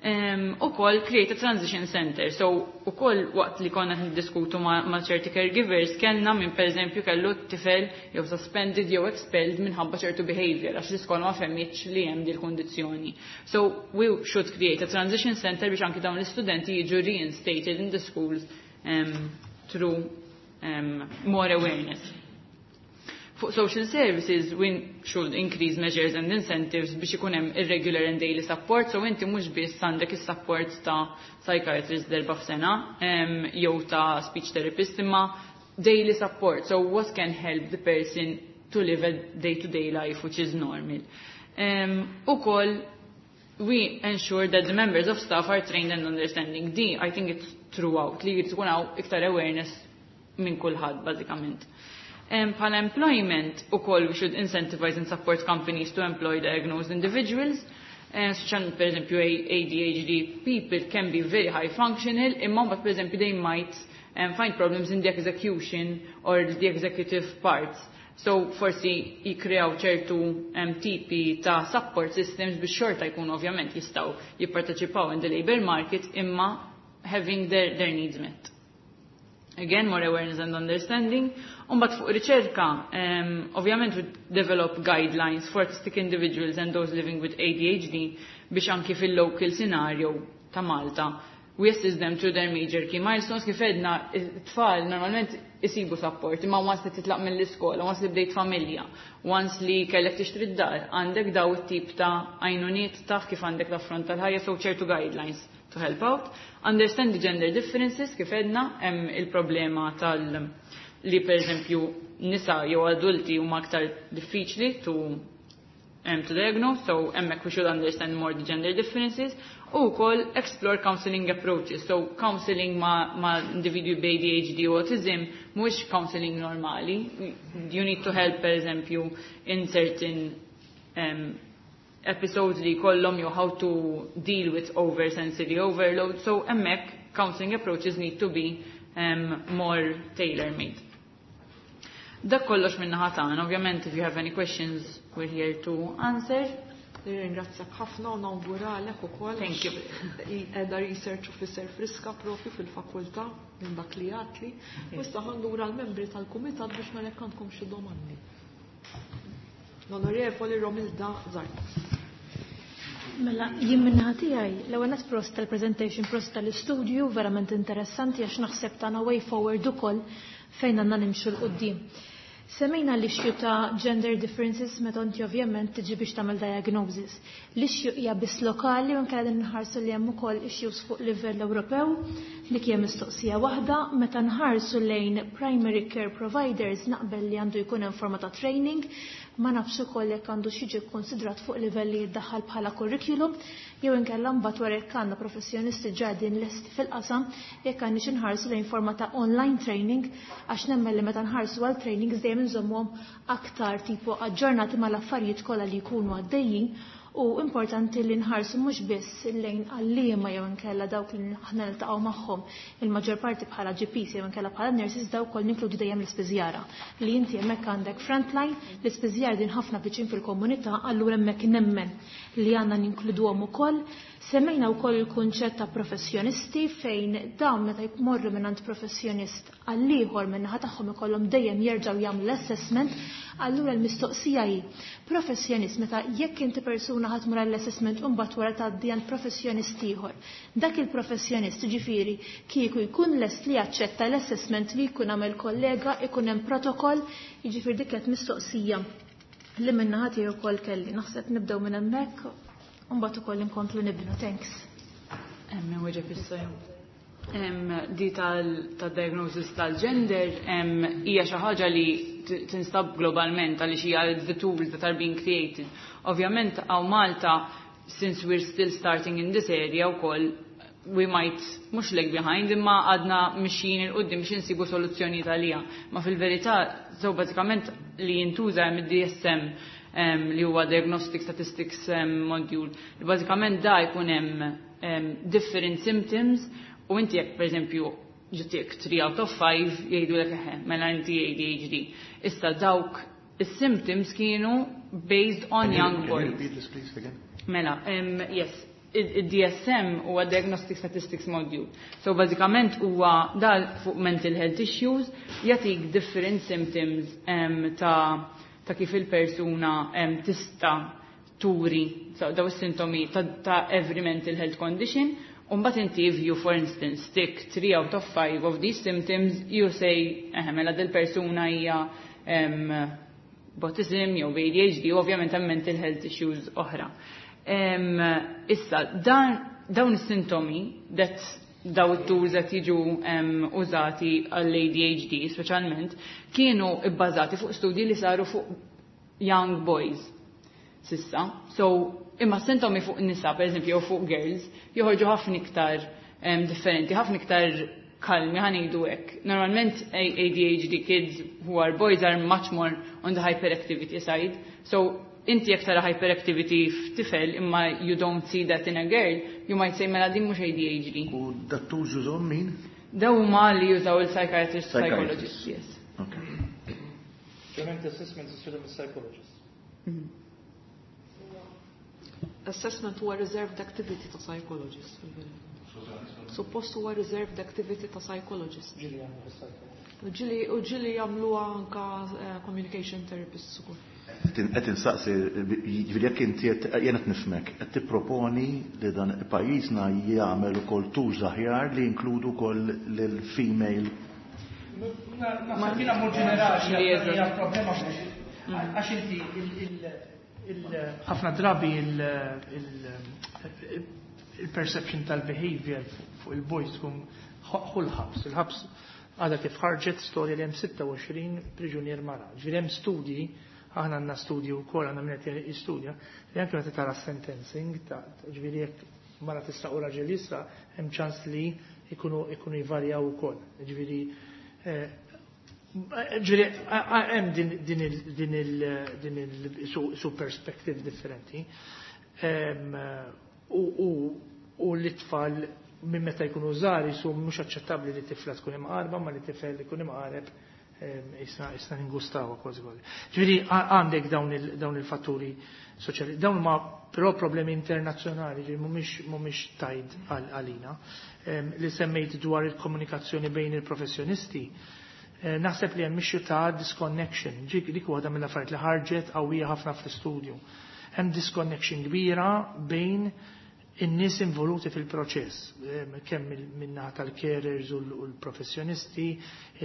Um, u koll create a transition center. So, u koll waqt li konna niddiskutu ma, ma ċerti caregivers, kellna minn per eżempju kellu t-tifel jew suspended jew expelled minħabba ċertu behavior, għax l-iskola ma fehmitx li hemm dil kundizzjoni. So, we should create a transition center biex anki dawn l-istudenti jiġu reinstated in the schools um, through um, more awareness. Fuq social services, we should increase measures and incentives biex ikun hemm irregular and daily support, so inti mhux biss għandek is-support ta' psychiatrist darba f'sena um, jew ta' speech therapist, imma daily support. So what can help the person to live a day-to-day life which is normal. Um, ukoll we ensure that the members of staff are trained and understanding. Di, I think it's throughout, li tkun hawn iktar awareness minn kulħadd bażikament. Um, bħala employment, ukoll we should incentivize and support companies to employ diagnosed individuals. Uh, Speċjalment, per eżempju, A D H D people can be very high functional, imma mbagħad, per eżempju, they might um, find problems in the execution or the executive parts. So forsi jikreaw ċertu um, tipi ta' support systems biex xorta jkunu ovvjament jistgħu jipparteċipaw in the labor market, imma having their, their needs met. Again, more awareness and understanding. Umbagħad fuq riċerka, um, ovvjament we develop guidelines for autistic individuals and those living with A D H D biex anki fil-local scenario ta' Malta we assist them through their major key milestones. Kif għedna, it-tfal normalment isibu support, imma once li titlaq mill-iskola, once li bdejt familja, once li kellek tixtri d-dar, għandek daw it-tip ta' għajnuniet taf kif għandek l-affront tal-ħajja, so ċertu guidelines to help out. Understand the gender differences, kif għedna, hemm il-problema tal- li per eżempju nisa jew adulti huma aktar diffiċli to um, to diagnose, so hemmhekk we should understand more the gender differences, u wkoll explore counseling approaches. So counseling ma, ma individwi b'A D H D u autism mhux counseling normali. You need to help, per eżempju, in certain um, episodes li kollhom jew how to deal with oversensory overload. So hemmhekk counseling approaches need to be um, more tailor-made. Dak kollox minn naħa tagħna. Ovvjament, if you have any questions, we're here to answer. Nirringrazzjak ħafna u nawguralek ukoll. Thank you. Qiegħda research officer friska propju fil-fakultà minn dak li għedtli. U issa ħa ndur għall-membri tal-kumitat biex nara jekk għandkom xi domandi. L-Onorevoli Romilda Zarb. Mela, jien min-naħa tiegħi, l-ewwel nett prosit tal-presentation, prosit tal-istudju, verament interessanti għax naħseb tagħna way forward ukoll fejn għandna nimxu 'l quddiem. Semmejna l-issue ta' gender differences meta inti ovvjament tiġi biex tagħmel diagnosis. L-issue hija biss lokali u nkella din nħarsu li hemm ukoll issues fuq livell Ewropew, dik hija mistoqsija waħda. Meta nħarsu lejn primary care providers, naqbel li għandu jkun hemm forma ta' training, ma nafx ukoll jekk għandu jiġi konsidrat fuq livell li jiddaħħal bħala curriculum jew inkella mbagħad wara jekk għandna professjonisti ġadin lest fil-qasam, jekk għandniex inħarsu lejn forma ta' online training, għax nemmen li meta nħarsu għal trainings dejjem inżommhom aktar tipo aġġornati mal-affarijiet kollha li jkunu għaddejjin. U importanti li nħarsu mhux biss lejn għalliema jew inkella dawk li aħna niltaqgħu magħhom il-maġġor parti bħala G Ps jew inkella bħala nurses, dawk ukoll ninkludi dejjem l-ispiżjara. Li inti hemmhekk għandek frontline, l-ispiżjara din ħafna viċin fil-komunità, allura hemmhekk nemmen li għandna ninkluduhom ukoll. Semmejna wkoll il-kunċett ta' professjonisti, fejn dawn meta jmorru minn għand professjonist għall-ieħor, min-naħa tagħhom ikollhom dejjem jerġgħu jagħmlu l-assessment, allura l-mistoqsija hi professjonist meta jekk inti persuna ħa tmur għall-assessment u mbagħad wara tgħaddi għand professjonist ieħor. Dak il-professjonist, ġifieri, kieku jkun lest li jaċċetta l-assessment li jkun għamel kollega, ikun hemm protokoll, jiġifieri dik qed mistoqsija li min-naħa tiegħi wkoll kelli. Naħseb nibdew minn hemmhekk u mbagħad ukoll inkomplu nibnu. Thanks. Hemm weġeb issa. Di tal-diagnosis tal-gender hija xi ħaġa li tinstab globalment għaliex hija the tools that are being created. Ovvjament hawn Malta, since we're still starting in this area wkoll, we might mhux lag behind, imma għadna mixjin 'il quddiem biex insibu soluzzjoni għaliha. Ma fil-verità, so bażikament li jintuża hemm id-D S M, li huwa Diagnostic Statistics Module. Li bażikament da jkun hemm different symptoms u inti jekk, pereżempju, ġitik three out of five, jgħidu lek eħe, mela inti A D H D. Issa dawk is-symptoms kienu based on young Can you boys. Repeat this, please, again? Mela, um, yes, il-D S M huwa Diagnostic Statistics Module. So bażikament huwa dal fuq mental health issues, jagħtik different symptoms um, ta' ta' kif il-persuna um, tista' turi, so, daw is-sintomi ta', ta every mental health condition. Umbagħad inti, if you, for instance, stick three out of five of these symptoms, you say, eh, mela dil-persuna hija um, autism jew A D H D, u ovvjament hemm mental health issues oħra. Um, issa, dan, dawn is-sintomi that daw it-tools that jiġu um, użati għall-A D H D speċjalment kienu bbażati fuq studji li saru fuq young boys s'issa. So, imma sintomi fuq nisa, per eżempju, jew fuq girls, joħorġu ħafna iktar um, differenti, ħafna iktar kalmi, ħa ngħidu hekk. Normalment A D H D kids who are boys are much more on the hyperactivity side. So, inti jekk tara hyperactivity f'tifel imma you don't see that in a girl, you might say, mela din mhux A D H D. U dat-tools jużahom min? Daw huma li jużaw il-psychiatrist, Psychiatrists. psychologist, yes. Okay. Ovvjament assessment isiru mis-psychologist. Assessment huwa reserved activity ta' psychologist, fil-verità. Suppost huwa reserved activity ta' psychologist. Ġieli jagħmlu fis-psychologist. U ġieli u ġieli jagħmluha anka eh, communication therapists ukoll. Qed insaqsi, jiġifieri jekk inti qed jien qed nifhmek, qed tipproponi li dan pajjiżna jagħmel ukoll tools aħjar li jinkludu wkoll lil-female. Naħseb jiena mod ġenerali Li hija eżatt. problema għax inti il- il- il- ħafna drabi il- il- il-perception tal-behavior fuq il-boys tkun ħu l-ħabs. Il-ħabs għadha kif ħarġet storja li hemm sitta u għoxrin priġunier mara. Ġifieri hemm studji, aħna għandna studju wkoll, għandna min qed jistudja, li anke meta tara sentencing, ta' ġifieri jekk mara tista' u raġel jisraq, hemm ċans li ikunu ikunu jvarjaw ukoll. Ġifieri eh, ġifieri hemm din din il din il din il su, su perspective differenti. Em, U u u l-tfal minn meta jkunu żgħar jisu mhux aċċettabbli li tifla tkun imqarba, ma li tifel ikun imqareb. Isna ningustawa kważi kważi. Ġifieri għandek dawn il-fatturi soċjali. Dawn huma però problemi internazzjonali, ġifieri mhumiex mhumiex tied għalina. Li semmejt dwar il-komunikazzjoni bejn il-professjonisti, naħseb li hemm issue ta' disconnection. Ġik dik waħda mill-affarijiet li ħarġet qawwija ħafna fl-istudju. Hemm disconnection kbira bejn in-nies involuti fil-proċess, kemm min-naħa tal-carers u l-professjonisti,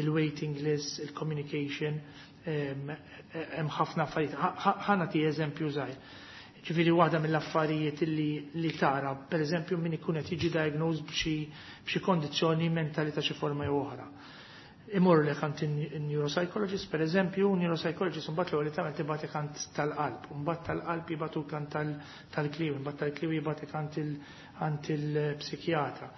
il-waiting list, il-communication, hemm ħafna affarijiet. Ħa nagħti eżempju żgħir. Ġifieri waħda mill-affarijiet li, li tara, per eżempju, min ikun qed jiġi diagnosed b'xi b'xi kondizzjoni mentali ta' xi forma jew oħra. Imorru lek għand neuropsychologist, per eżempju, neuropsychologist mbagħad l-ewwel tagħmel tibgħatek għand tal-qalb, mbagħad tal-qalb jibagħtuk għand tal-kliewi, mbagħad tal-kliewi jibgħatek għand il-psikjatra.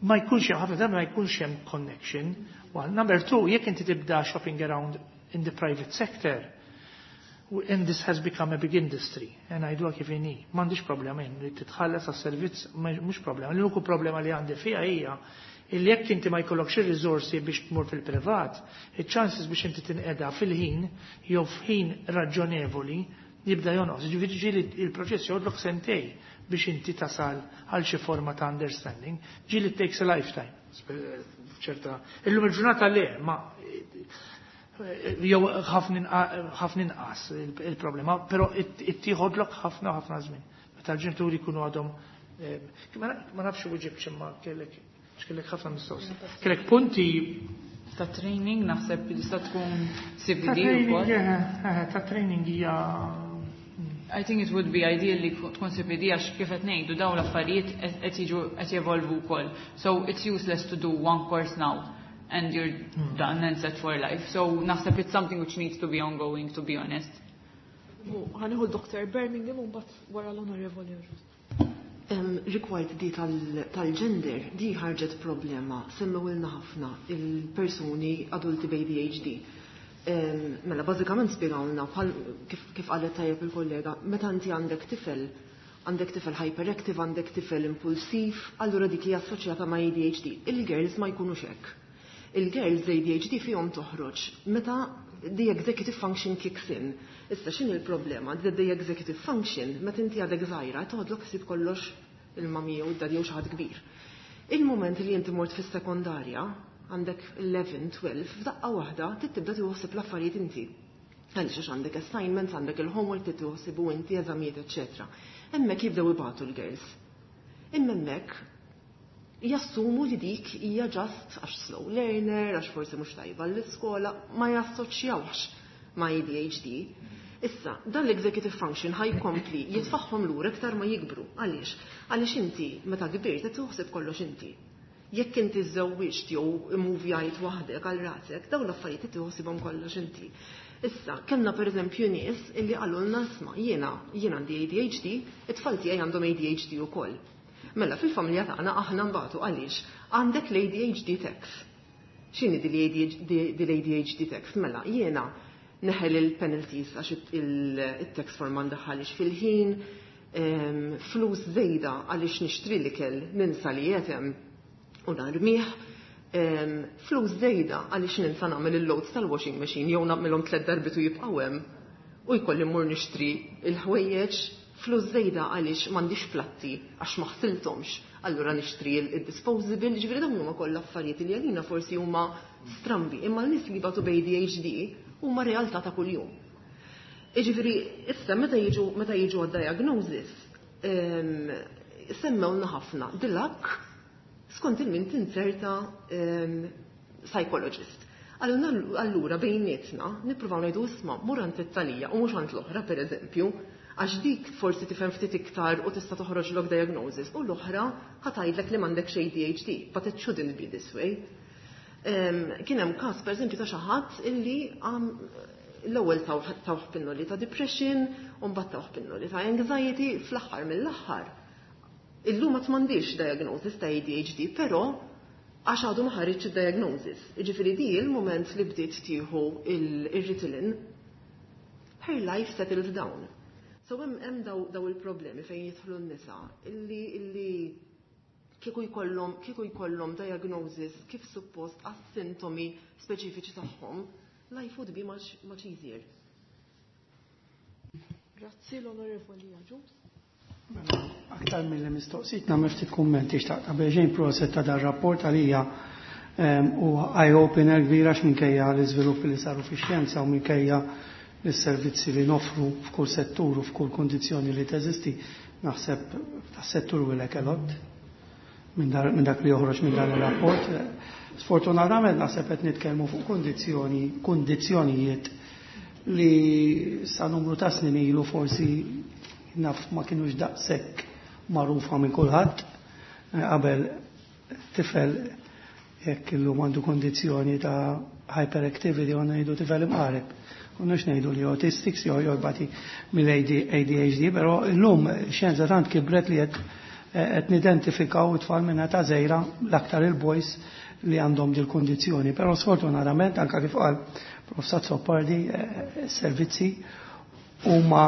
Ma jkunx hemm ħafna drabi ma jkunx hemm connection. One. Number two, jekk inti tibda shopping around in the private sector, and this has become a big industry, and għidu kif inhi. M'għandix problema jien li titħallas għas-servizz mhux problema. L-uniku problema li għandi fiha hija illi jekk inti ma jkollokx ir-riżorsi biex tmur fil-privat, il-chances biex inti tinqeda fil-ħin jew f'ħin raġonevoli jibda jonqos. Ġifieri ġieli il-proċess joħodlok sentejn biex inti tasal għal xi forma ta' understanding. Ġieli it takes a lifetime. ċerta. Illum il-ġurnata le, ma jew ħafna inqas il-problema, però ittieħodlok ħafna ħafna żmien. Meta l-ġenituri jkunu għadhom ma nafx u imma kellek kellek ħafna mistoqsijiet. Kellek punti ta' training naħseb li tista' tkun C P D ukoll. Ta' training hija I think it would be ideal li tkun C P D għax kif qed ngħidu dawn l-affarijiet qed jiġu qed jevolvu wkoll. So it's useless to do one course now and you're hmm. done and set for life. So naħseb it's something which needs to be ongoing, to be honest. Ħa nieħu Doctor Birmingham u mbagħad wara l-Onorevoli. Rigward di tal-gender, di ħarġet problema, semmewilna ħafna il-persuni adulti b'A D H D. Mela, bażikament spiegawlna, kif qalet tajjeb il-kollega, meta inti għandek tifel, għandek tifel hyperactive, għandek tifel impulsiv, allura dik hija assoċjata ma' A D H D. Il-girls ma jkunux hekk. Il-girls A D H D fihom toħroġ meta the executive function kicks in. Issa x'inhi il-problema? The, the executive function, meta inti għadek żgħira, toħodlok ħsieb kollox il-mami u d-daddy jew xi ħadd kbir. Il-moment li inti mort fis-sekondarja, għandek għaxra, tnax, f'daqqa waħda tibda tieħu l-affarijiet inti. Għaliex għax għandek assignments, għandek il-homework tieħu ħsiebu inti, eżamijiet, eċetera. Hemmhekk jibdew ibatu l-girls. Imma hemmhekk jassumu li dik hija just għax slow learner, għax forsi mhux tajba l-iskola, ma jassoċjawx ma' A D H D. Issa, dan l-executive function ħa jkompli jitfagħhom lura iktar ma jikbru. Għaliex? Għaliex inti meta kbirt qed tuħseb kollox inti. Jekk inti żżewwiġt jew immuvjajt waħdek għal rasek, dawn l-affarijiet tieħu kollox inti. Issa, kellna per eżempju nies illi qalulna, "Isma', jiena jiena għandi A D H D, it-tfal tiegħi għandhom A D H D ukoll. Mela fil-familja tagħna aħna nbatu għaliex għandek l-A D H D tax." X'inhi di l-A D H D tax? Mela jiena neħel il-penalties għax il-tax form ma ndaħħalix fil-ħin, flus zejda għaliex nixtri l-ikel ninsa li jetem u narmih, flus zejda għaliex ninsa nagħmel il-loads tal-washing machine jew nagħmilhom tliet darbiet u jibqgħu hemm u jkolli mmur nixtri il-ħwejjeġ, flus zejda għaliex m'għandix platti għax ma ħsilthomx, allura nixtri il-disposable. Ġifieri dawn huma kollha affarijiet li għalina forsi huma strambi, imma l-nies li jbatu b'A D H D huma realtà ta' kuljum. Iġifieri, issa meta jiġu meta jiġu għad-diagnosis, semmewna ħafna dilak skont il-min tinserta psychologist. Allura bejnietna nippruvaw ngħidu, "Isma', mur għand it-talija u mhux għand l-oħra," per eżempju, għax dik forsi tifhem ftit iktar u tista' toħroġlok diagnosis u l-oħra ħa tgħidlek li m'għandekx A D H D, but it shouldn't be this way. Kien hemm każ pereżempju ta' xi ħadd illi l-ewwel tawh pinnoli ta' depression u mbagħad tawh pinnoli ta' anxiety, fl-aħħar mill-aħħar. Illum ma m'għandix diagnosis ta' A D H D, però għax għadu ma ħareġ diagnosis. Jiġifieri di il-moment li bdiet tieħu il-Ritalin, her life settled down. So hemm hemm daw, daw il-problemi fejn jidħlu n-nisa illi illi Kieku jkollhom kieku jkollhom diagnosis kif suppost għas-sintomi speċifiċi tagħhom, life would be much, much easier. Grazzi l-Onorevoli Agius. Aktar mill mistoqsijiet nagħmel ftit kummenti xtaqt qabel xejn proset ta' dan rapport għalija u eye-opener kbira x'minkejja l-iżviluppi li saru fix-xjenza u minkejja l-servizzi li nofru f'kull settur u f'kull kondizzjoni li teżisti, naħseb tas-settur we lack a lot minn dak li joħroġ minn dan ir-rapport. Sfortunatament naħseb qed nitkellmu fuq kondizzjoni kundizzjonijiet li sa numru ta' snin ilu forsi naf ma kienux daqshekk magħrufa minn kulħadd. Qabel tifel jekk illum għandu kondizzjoni ta' hyperactivity għandna ngħidu tifel imqareb. Konnux ngħidu li autistics jew jorbati mill-A D H D, però illum xjenza tant kibret li qed qed nidentifikaw it-tfal minn ta' żgħira, l-aktar il-boys li għandhom dil kondizzjoni. Però sfortunatament, anka kif qal Professor Azzopardi, servizzi huma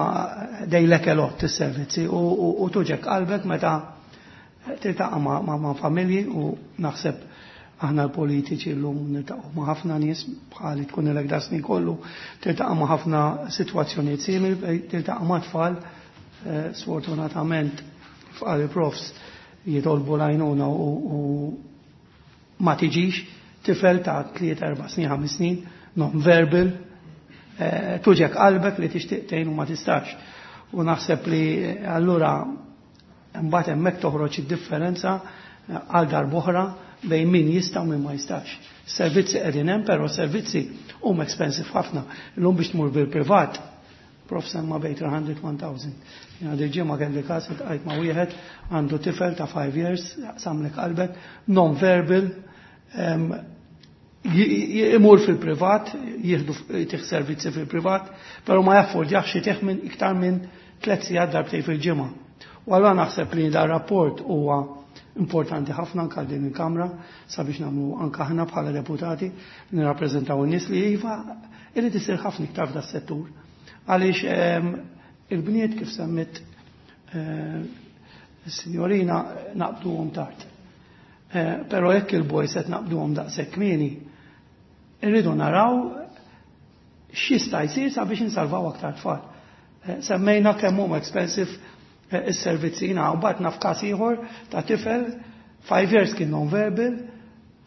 they lack a lot, is-servizzi, u tuġgħek qalbek meta tiltaqa' ma', ma, ma familji, u naħseb aħna l-politiċi llum niltaqgħu ma' ħafna nies bħali tkun ilek da snin kollu tiltaqa' ma' ħafna sitwazzjonijiet simili, tiltaqa' ma' tfal eh, sfortunatament fqal il-profs jitolbu l-għajnuna u, u ma tiġix, tifel ta' tliet, erba' snin, ħames snin, non-verbal, eh, tuġgħek qalbek li tixtieq tgħin u ma tistax. U naħseb li allura mbagħad hemmhekk toħroġ id-differenza għal darb'oħra bejn min jista' u min ma jistax. Servizzi qegħdin hemm, però servizzi huma expensive ħafna. Illum biex tmur bil-privat, prof semma bejn tliet mija u elf. Jiena dil-ġimgħa kelli każ, iltqajt ma' wieħed għandu tifel ta' five years, samlek qalbek, non-verbal, imur fil-privat, jieħdu tih servizzi fil-privat, però ma jaffordjax jtih minn iktar minn tliet sigħat darbtejn fil-ġimgħa. U allura naħseb li dar rapport huwa importanti ħafna anka din il-Kamra sabiex nagħmlu anka aħna bħala deputati nirrappreżentaw in-nies li iva irid isir ħafna iktar f'da settur. Għaliex il-bniet, kif semmit is-sinjorina, naqbduhom tard. Però jekk il-boys qed naqbduhom daqshekk kmieni, irridu naraw x'jista' jsir sabiex insalvaw aktar tfal. Semmejna kemm huma expensive is-servizzi, u mbagħad naf każ ieħor ta' tifel five years kien non-verbal,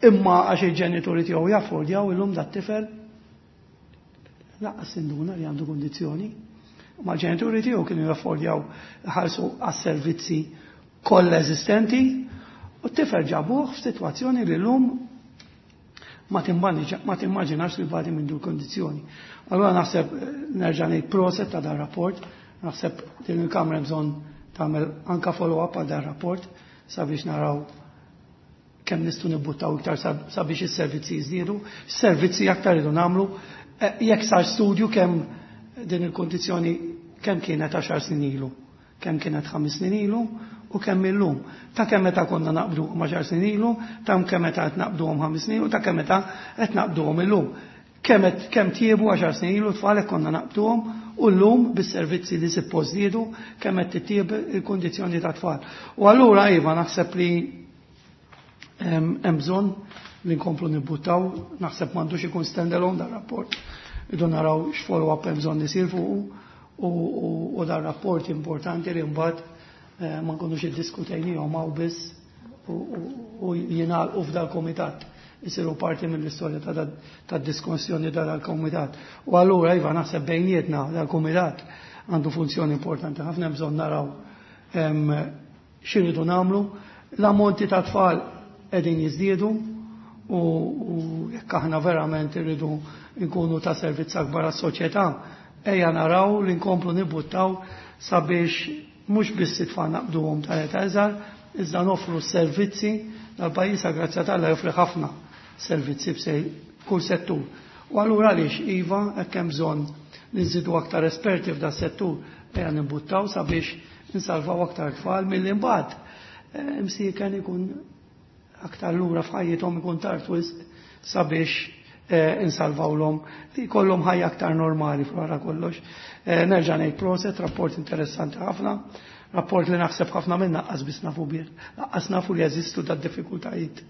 imma għax il-ġenituri tiegħu jaffordjaw, illum dat tifel lanqas induna li għandu kondizzjoni. Ma l-ġenituri tiegħu kienu jaffordjaw ħalsu għas-servizzi kollha eżistenti u t-tifel ġabuh f'sitwazzjoni li llum ma timmaġinax li bati minn dul kondizzjoni. Allura naħseb nerġa' ngħid proset ta' dan rapport, naħseb din il-Kamra bżonn tagħmel anka follow-up għal dan rapport sabiex naraw kemm nistgħu nibbuttaw iktar sabiex is-servizzi jiżdiedu, servizzi aktar idu nagħmlu. Jekk sar studju kemm din il-kondizzjoni kemm kienet għaxar snin ilu, kemm kienet ħames snin ilu u kemm illum. Ta' kemm meta konna naqbdu għaxar snin ilu, ta' kemm meta qed naqbduhom ħames snin u ta' kemm meta qed naqbduhom illum. Kemm kemm tjiebu għaxar snin ilu tfal konna naqbduhom u llum bis-servizzi li suppost żdiedu kemm qed titjieb il-kundizzjoni ta' tfal. U allura iva naħseb li hemm bżonn li nkomplu nibbuttaw, naħseb m'għandux ikun stand-alone dar rapport. Idu naraw x'follow-up hemm bżonn isir fuqu u dar rapport importanti li mbagħad ma nkunux iddiskutejnihom hawn biss u jingħalqu f'dal-komitat, isiru parti mill-istorja ta' diskussjoni dal-komitat. U allura iva naħseb bejnietna dal-komitat għandu funzjoni importanti ħafna, bżonn naraw x'iridu nagħmlu. L-ammonti ta' tfal qegħdin jiżdiedu u jekk aħna verament irridu nkunu ta' servizz akbar għas-soċjetà, ejja naraw li nkomplu nibbuttaw sabiex mhux biss it-tfal naqbduhom ta' età iżgħar, iżda nofru servizzi. Dal-pajjiż grazzja t'Alla joffri ħafna servizzi b'kull settur. U allura għaliex iva hekk hemm bżonn li nżidu aktar esperti f'da settur, ejja nibbuttaw sabiex insalvaw aktar tfal milli mbagħad imsieken ikun aktar lura f'ħajjithom, ikun tard wisq sabiex insalvawlhom li jkollhom ħajja aktar normali wara kollox. Nerġa' ngħid proset, rapport interessanti ħafna. Rapport li naħseb ħafna minna qas biss nafu bih, qas nafu li jeżistu da diffikultajiet.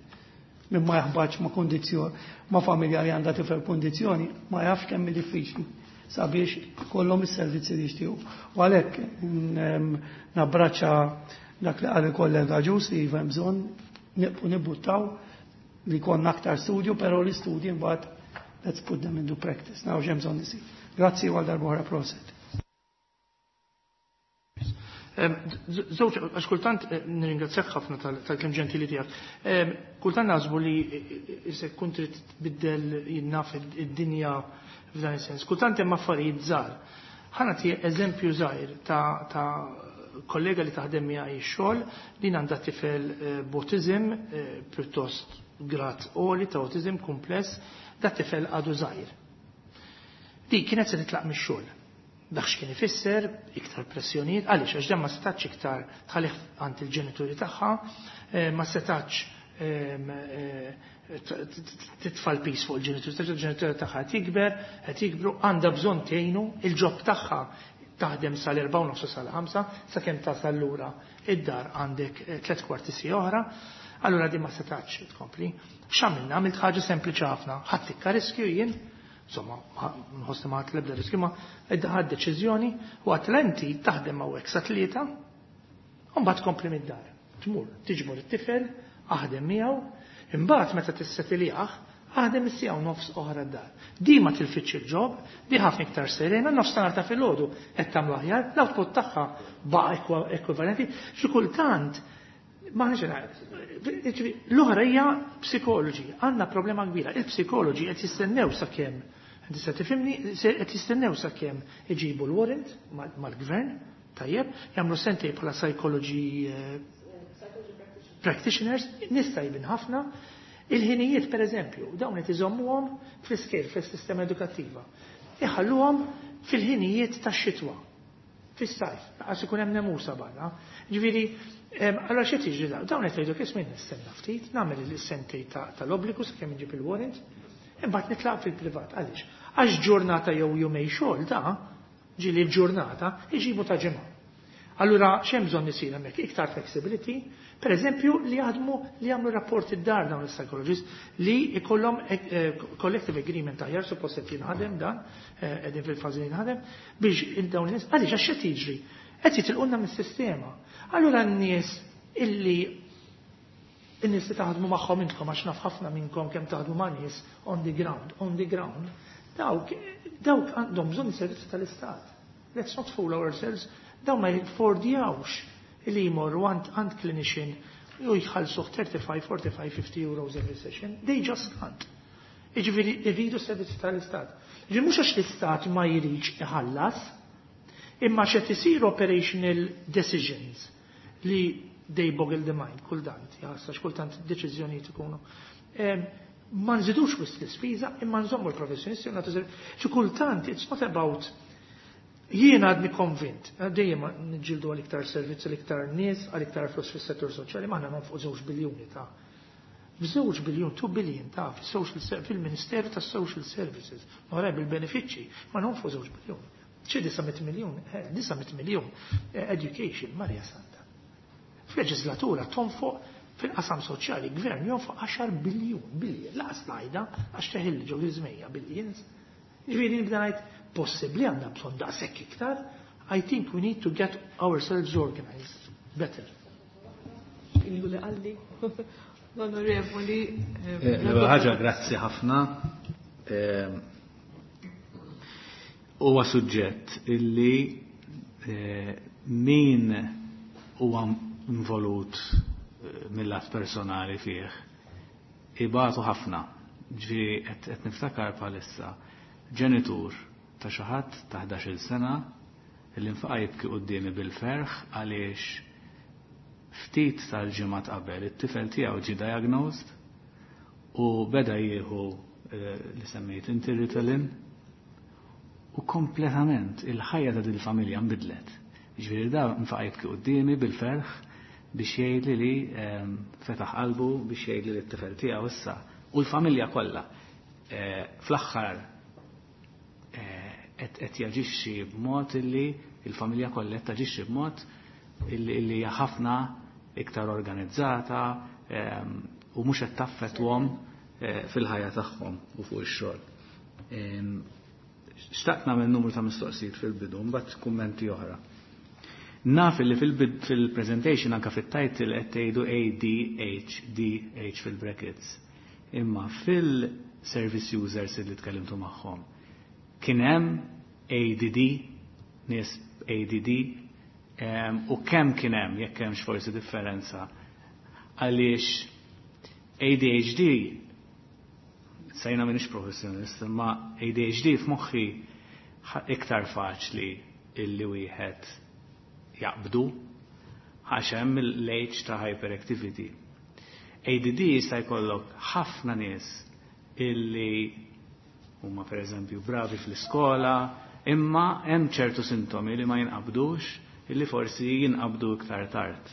Min ma jaħbatx ma' kondizzjoni, ma' familja li għandha tifel kondizzjoni, ma jafx kemm hi diffiċli sabiex kollhom is-servizzi li jixtiequ. U għalhekk nabbraċċa dak li qal il-kollega Ġus li iva hemm bżonn nibqgħu nibbuttaw li jkollna aktar studju, però l-istudji mbagħad let's put them into practice. Naraw x'hemm bżonn isir. Grazzi għal darb'oħra, proset. Żewġ, għax kultant eh, nirringrazzjak ħafna tal-kliem ġentili tiegħek. Kultant naħsbu li se tkun trid tbiddel jinnaf id-dinja f'dan is-sens. Kultant hemm affarijiet żgħar. Ħa nagħti eżempju żgħir ta' kollega li taħdem miegħi x-xogħol li għandha tifel eh, b'autism eh, pjuttost grad għoli ta' autism kumpless, da tifel għadu żgħir. Di kienet se titlaq mix-xogħol. Dak x'kien ifisser, iktar pressjonijiet, għaliex għax dan ma setax iktar tħallih għand il-ġenituri tagħha, eh, ma setax ehm, eh, titfa' l-piż fuq il-ġenituri tagħha, il-ġenituri tagħha qed jikber, qed jikbru, għandha bżonn tgħinu, il-job tagħha taħdem sal-erba' u nofs sal-ħamsa, sakemm tasal lura id-dar għandek eh, tliet kwarti siegħa oħra, allura din ma setax tkompli. X'għamilna? Għamilt ħaġa sempliċi ħafna. Ħadt tikka riskju jien, insomma, nħossni ma ħadt l-ebda riskju, ma ħadt deċiżjoni u għedt inti taħdem hawnhekk sa tlieta, u mbagħad tkompli mid-dar. Tmur, tiġbor it-tifel, aħdem miegħu, imbagħad meta tissetiljaħ, aħdem is-siegħa u nofs oħra d-dar. Di ma tilfitx il-job, di ħafna iktar serena, nofs ta' ta' filgħodu qed tagħmlu aħjar, l-output tagħha baqa' ekwivalenti, xi kultant ma l-oħra hija psikoloġi, għandna problema kbira. Il-psikoloġi qed jistennew sakemm, tista' tifhimni, qed jistennew sakemm iġibu l-warrant mal-gvern, tajjeb, jagħmlu sentej bħala psychology eh, practitioners, nista' jibin ħafna. Il-ħinijiet, per eżempju, dawn qed iżommuhom fl-iskejjel, fis-sistema edukattiva. Iħalluhom fil-ħinijiet tax-xitwa, fis-sajf, għax ikun hemm nemusa barra. Ġifieri, allora xi tiġri dawn? Dawn qed jgħidu kif nistenna ftit, nagħmel is-sentej tal-obbligu sakemm inġib il-warrant, imbagħad nitlaq fil-privat. Għaliex? Għax ġurnata jew jumej xogħol da, ġieli l-ġurnata, iġibu ta' ġimgħa. Allura x'hemm bżonn isir hemmhekk? Iktar flexibility, per eżempju li jaħdmu li jagħmlu rapport id-dar dawn is-psychologists li jkollhom eh, collective agreement aħjar, suppost qed jinħadem dan, eh, qegħdin fil-fażi jinħadem biex dawn in-nies għaliex għax x'qed jiġri? Qed jitilqulna mis-sistema. Allura n-nies illi n-nies li taħdmu magħhom intkom, għax naf ħafna minnkom kemm taħdmu ma' nies on the ground, on the ground, dawk dawk għandhom bżonn is-servizzi tal-Istat. Let's not fool ourselves, dawn ma jaffordjawx li jmorru għand għand clinician u jħallsu thirty-five, forty-five, fifty euros every session. They just can't. Jiġifieri irridu servizzi tal-Istat. Jiġifieri mhux għax l-Istat ma jridx iħallas, imma x'qed isir operational decisions li they boggle the mind kultant, jassa kultant deċiżjonijiet ikunu. Ma nżidux wisq l-ispiża, imma nżommu l-professjonisti u nagħtu. Xi kultant it's not about, jiena għadni konvint, dejjem niġġieldu għal iktar servizzi, għal iktar nies, għal iktar flus fis-settur soċjali, ma aħna nonfqu żewġ biljuni ta' b'żewġ biljun, two billion ta' fis-social fil-Ministeru tas-Social Services, ma bil-benefiċċji, ma nonfqu żewġ biljun. Xi disa' mitt miljun, eh, disa' mitt miljun eh, education, Marja Santa. Fil-leġislatura tonfoq fil-qasam soċjali, gvern jonfoq għaxar biljun, billion, laqas ngħidha għax teħil ġo żmejja billions. Ġifieri nibda ngħid possibbli għandna bżonn daqshekk iktar, I think we need to get ourselves organized better. Illu li qalli l-onorevoli. Eh, l-ewwel ħaġa, grazzi ħafna. Eh, huwa suġġett illi eh, min huwa involut mill-lat personali fih ibatu ħafna. Ġifieri qed niftakar bħalissa ġenitur ta' xi ħadd ta' ħdax-il sena illi nfaqa' jibki quddiemi bil-ferħ għaliex ftit tal-ġimgħat qabel it-tifel tiegħu ġie diagnosed u beda jieħu eh, li semmejt inti Ritalin u kompletament il-ħajja ta' dil-familja nbidlet. Ġifieri da nfaqa' jibki quddiemi bil-ferħ biex jgħidli li ehm, fetaħ qalbu biex jgħidli li t-tifel tiegħu issa u l-familja kollha eh, fl-aħħar eh, qed jaġixxi b'mod illi il-familja kollha qed taġixxi b'mod illi hija ħafna iktar organizzata ehm, u mhux qed taffettwhom eh, fil-ħajja tagħhom u fuq ix-xogħol. Ehm, xtaqt nagħmel numru ta' mistoqsijiet fil-bidu, mbagħad kummenti oħra. Naf li fil-presentation anka fit-title qed tgħidu A D H D H fil-brackets. Imma fil-service users li tkellimtu magħhom kien hemm A D D, nies A D D, u kemm kien hemm jekk hemmx forsi differenza għaliex A D H D sejna m'iniex professjonist, imma A D H D f'moħħi iktar faċli illi wieħed jaqbdu għax hemm l-H ta' hyperactivity. A D D jista' jkollok ħafna nies illi huma pereżempju bravi fl-iskola, imma hemm ċertu sintomi li ma jinqabdux illi forsi jinqabdu iktar tard.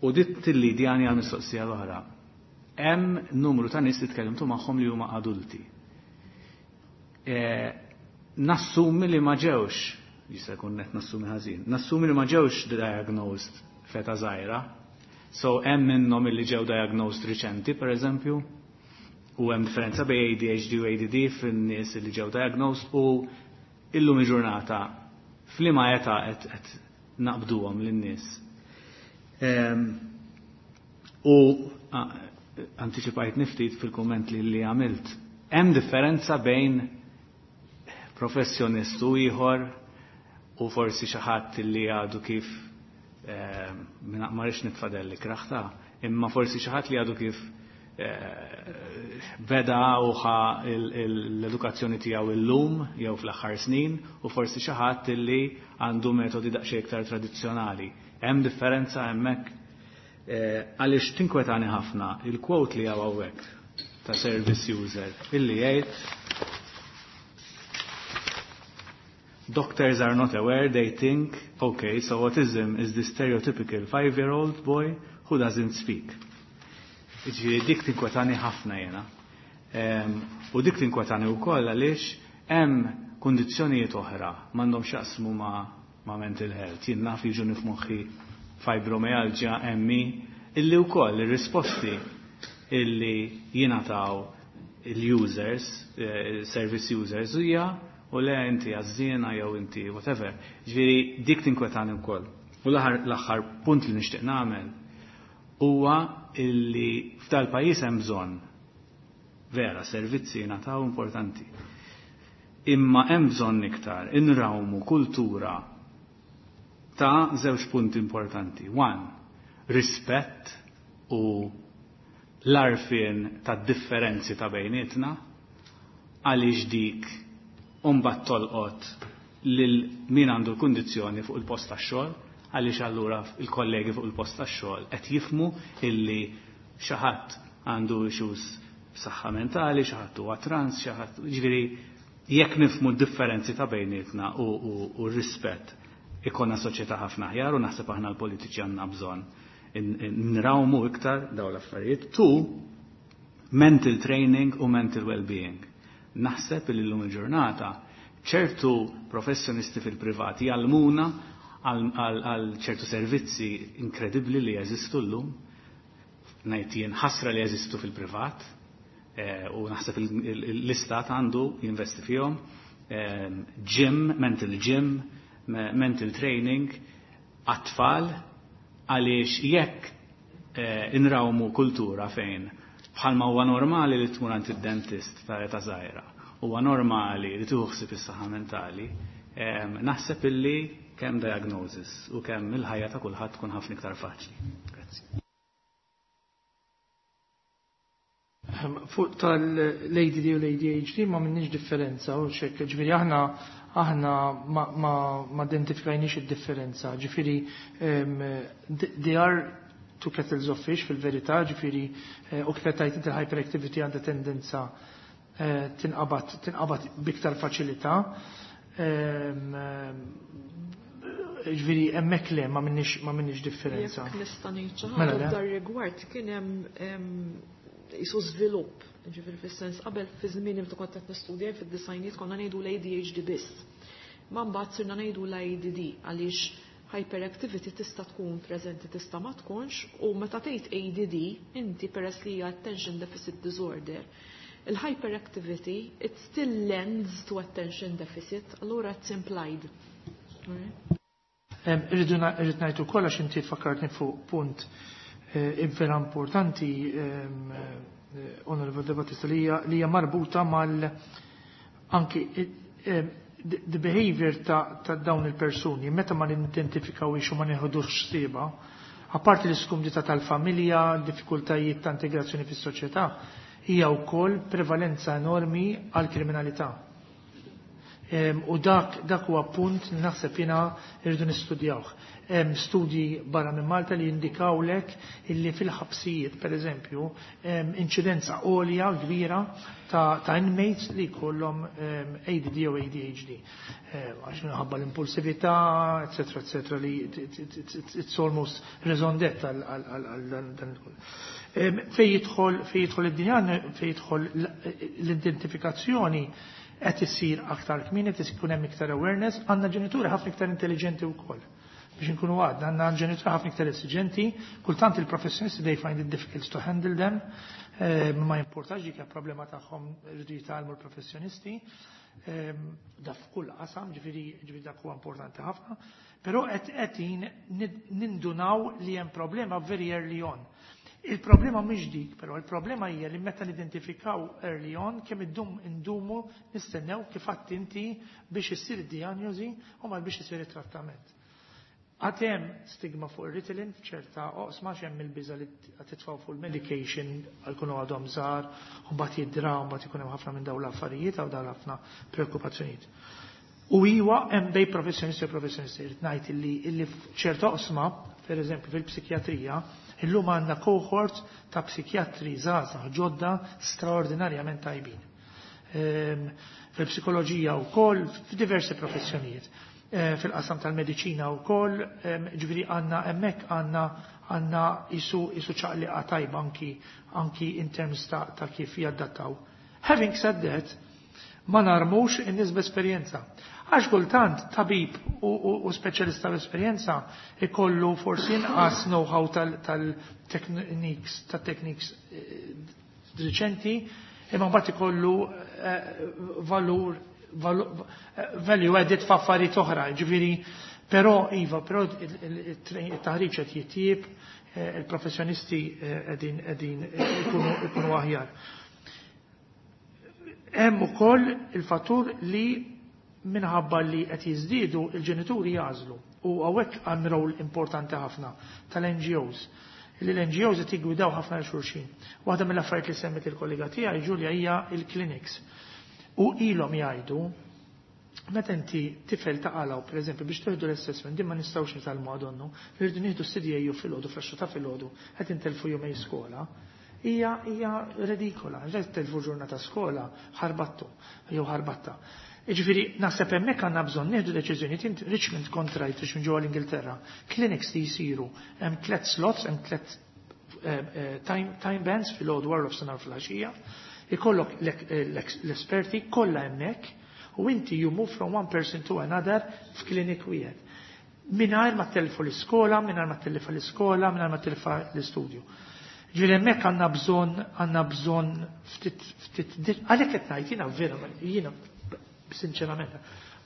U dit tilli djani għal mistoqsija l-oħra. Hemm numru ta' nies li tkellimtu magħhom li huma adulti. E, nassumi li ma ġewx, jista' jkun qed nassumi ħażin, nassumi li ma ġewx diagnosed feta żgħira. So hemm minnhom illi ġew diagnosed riċenti, pereżempju, u hemm differenza bejn A D H D u A D D fin-nies li ġew diagnosed u illum il-ġurnata f'liema età qed qed naqbduhom lin-nies. U antiċipajt niftit fil-kumment li li għamilt. Hemm differenza bejn professjonist u ieħor u forsi xi ħadd li għadu kif ma rridx nitfadelli kraħta, imma forsi xi ħadd li għadu kif beda u ħa l-edukazzjoni tiegħu illum jew fl-aħħar snin u forsi xi ħadd li għandu metodi daqsxejn iktar tradizzjonali. Hemm differenza hemmhekk għaliex tinkwetani ħafna il-quote li hawn hawnhekk ta' service user illi jgħid Doctors are not aware, they think, okay, so autism is the stereotypical five-year-old boy who doesn't speak. Ġifieri dik tinkwetani ħafna jena. U dik tinkwetani wkoll għaliex hemm kundizzjonijiet oħra m'għandhom x'jaqsmu ma', ma' mental health. Jien naf jiġu nifmoħħi fibromyalgia, M E, illi wkoll ir-risposti illi jingħataw il-users, service users hija u le inti għażżiena jew inti whatever. Ġifieri dik tinkwetani wkoll. U l-aħħar punt li nixtieq nagħmel huwa illi f'dal pajjiż hemm bżonn vera servizzi jingħataw importanti. Imma hemm bżonn iktar inrawmu kultura ta' żewġ punti importanti. One, rispett u l-arfien ta' differenzi ta' bejnietna għaliex dik mbagħad tolqot lil min għandu l-kundizzjoni fuq il-post tax-xogħol, għaliex allura il-kollegi fuq il-post tax-xogħol qed jifhmu illi xi ħadd għandu issues b'saħħa mentali, xi ħadd huwa trans, xi ħadd, ġifieri jekk nifhmu d-differenzi ta' bejnietna u, u, u r-rispett ikonna soċjetà ħafna aħjar u naħseb aħna l-politiċi għandna bżonn nrawmu iktar dawn l-affarijiet. Two, mental training u mental well-being. Naħseb li llum il-ġurnata ċertu professjonisti fil-privat jgħallmuna għal ċertu servizzi inkredibbli li jeżistu llum. Ngħid jien ħasra li jeżistu fil-privat, u naħseb l-istat għandu jinvesti fihom. Gym, mental gym, mental training għat-tfal, għaliex jekk inrawmu kultura fejn bħalma huwa normali li tmur għand id-dentist ta' età żgħira, huwa normali li tieħu ħsieb is-saħħa mentali, naħseb illi kemm diagnosis u kemm il-ħajja ta' kulħadd tkun ħafna iktar faċli. Grazzi. Fuq tal-A D D u l-A D H D ma minnix differenza u xek, ġifieri aħna, aħna ma, ma, ma identifikajniex id-differenza, ġifieri, em, they are two kettles of fish fil-verità, ġifieri, eh, u kif qed tgħid inti l-hyperactivity għandha tendenza, eh, tinqabad, tinqabad biktar faċilità. Em, ġifieri hemmhekk le ma minnix, ma minnix differenza. Jekk nista' ngħid xi Mela, ħaġa le. f'dar rigward kien hemm, em, jisu żvilupp, ġifieri fis-sens qabel fi żmien meta kont qed nistudja fid-disajnijiet konna ngħidu l-A D H D biss. Ma mbagħad sirna ngħidu l-A D D għaliex Hyperactivity tista' tkun preżenti, tista' ma tkunx, u meta tgħid A D D, inti peress li hija attention deficit disorder, il-hyperactivity, it still lends to attention deficit, allura it's implied. Irridu irrid ngħid ukoll, għax inti fakkartni fuq punt eh, vera importanti, eh, Onorevole De Battista, li hija marbuta mal anki eh, the behavior ta', ta dawn il-persuni, meta ma nidentifikawhiex u ma nieħdux ħsiebha, apparti l-iskumdità tal-familja, diffikultajiet ta' integrazzjoni fis-soċjetà, hija wkoll prevalenza enormi għal kriminalità. U dak dak huwa punt li naħseb jiena irridu nistudjawh. Hemm studji barra minn Malta li jindikawlek illi fil-ħabsijiet, per eżempju, inċidenza għolja kbira ta', ta inmates li jkollhom A D D u A D H D. Għax minħabba l-impulsività, eccetera, eccetera, li it's almost raison d'être għal dan. Fej jidħol fej jidħol id-dinja, fej jidħol l-identifikazzjoni, qed issir aktar kmieni, qed ikun hemm iktar awareness, għandna ġenituri ħafna iktar intelligenti wkoll. Biex inkunu għadna, għandna ġenituri ħafna iktar esiġenti, kultant il-professjonisti, they find it difficult to handle them, eh, ma jimportax, dik problema tagħhom, rridu jitgħallmu l-professjonisti, eh, da f'kull qasam, ġifieri ġifieri dak huwa importanti ħafna, però qed qegħdin nindunaw li hemm problema very early on. Il-problema mhix dik, però il-problema hija li meta nidentifikaw early on, kemm iddum indumu nistennew, kif għedt inti, biex issir id-diagnosi u mal biex isir it-trattament. Għad hemm stigma fuq ir-Ritalin f'ċerta oqsma, hemm il-biża li titfgħu fuq il-medication għal kunu għadhom żgħar, u mbagħad jidra, u mbagħad ikun hemm ħafna minn dawn l-affarijiet għaw dawn ħafna preokkupazzjonijiet. U iwa hemm bej professjonisti u professjonisti, irrid ngħid illi illi f'ċerta oqsma, per eżempju fil-psikjatrija, illum għandna cohort ta' psikjatri żgħażagħ ġodda straordinarjament tajbin. Ehm, fil-psikoloġija wkoll, f'diversi professjonijiet. Eh, fil-qasam tal-mediċina wkoll, ehm, ġifieri għandna hemmhekk għandna għandna isu isu ċaqliqa tajba anki anki in terms ta', ta' kif jaddattaw. Having said that, ma narmux in-nies b'esperjenza. Għax kultant tabib u, u, u speċjalista b'esperjenza ikollu forsi inqas know-how tal-techniques, tat-techniques eh, riċenti, imma mbagħad ikollu eh, valur eh, value added f'affarijiet oħra, ġifieri, però iva, però il-taħriġ qed jitjieb, il-professjonisti qegħdin qegħdin ikunu aħjar. Hemm ukoll il-fattur li minħabba li qed jiżdiedu, il-ġenituri jagħżlu, u hawnhekk hemm rol importanti ħafna tal-N G Os, li l-N G Os qed jiggwidaw ħafna lil xulxin. Waħda mill-affarijiet li semmet il-kollega tiegħi Ġulja hija il-clinics. U ilhom jgħidu, meta inti tifel taqalgħu, pereżempju, biex tieħdu l-assessment, din ma nistgħux nitgħallmu għadonnu, rridu nieħdu C D A U filgħodu, fl ta' filgħodu, qed intelfu jumej skola, hija hija redikola, qed telfu ġurnata skola, ħarbattu jew ħarbatta. Ġifieri, naħseb hemmhekk għandna bżonn nieħdu deċiżjonijiet. Richmond kontrajt, Richmond ġewwa l-Ingilterra, clinics li jsiru, hemm tliet slots, hemm tliet eh, eh, time, time bands, filgħodu, wara nofsinhar, filgħaxija, ikollok l-esperti kollha hemmhekk u inti you move from one person to another f'klinik wieħed. Mingħajr ma telfu l-iskola, mingħajr ma telfu l-iskola, mingħajr ma telfa l-istudju. Ġifieri hemmhekk għandna bżonn għandna bżonn ftit ftit, għalhekk qed ngħid jiena vera, jiena sinċerament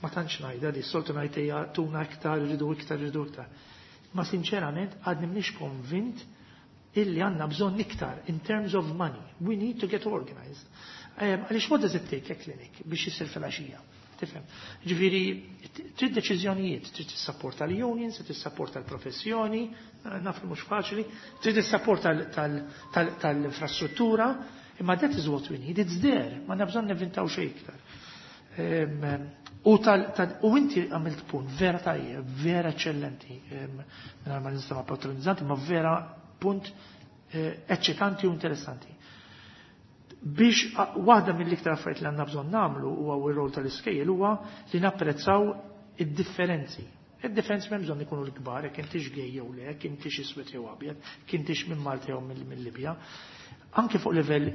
ma tantx ngħidha li soltu ngħid ejja tuna iktar, irridu iktar, irridu iktar. Ma sinċerament għadni mniex konvint illi għandna bżonn iktar in terms of money. We need to get organized. Għaliex what does it take a clinic biex jisir fil-għaxija? Tifhem? Ġifieri, trid deċiżjonijiet, trid tissapporta l-unions, trid tissapporta l-professjoni, naf li mhux faċli, trid tissapporta tal-infrastruttura, imma that is what we need, it's there, ma bżonn nevvintaw xejn iktar. U, tal, tal, u inti għamilt punt vera tajjeb, vera eccellenti, minn ma nistama patronizzanti, ma vera punt eh, eċċitanti u interessanti. Biex waħda mill-iktar affarijiet li għandna bżonn nagħmlu, huwa r-rol tal-iskejjel, huwa li napprezzaw id-differenzi. Id-differenzi m'hemm bżonn ikunu l-kbar, jekk intix gay jew le, jekk intix iswed jew abjad, jekk intix minn Malta jew mill-Libja. Anke fuq livell,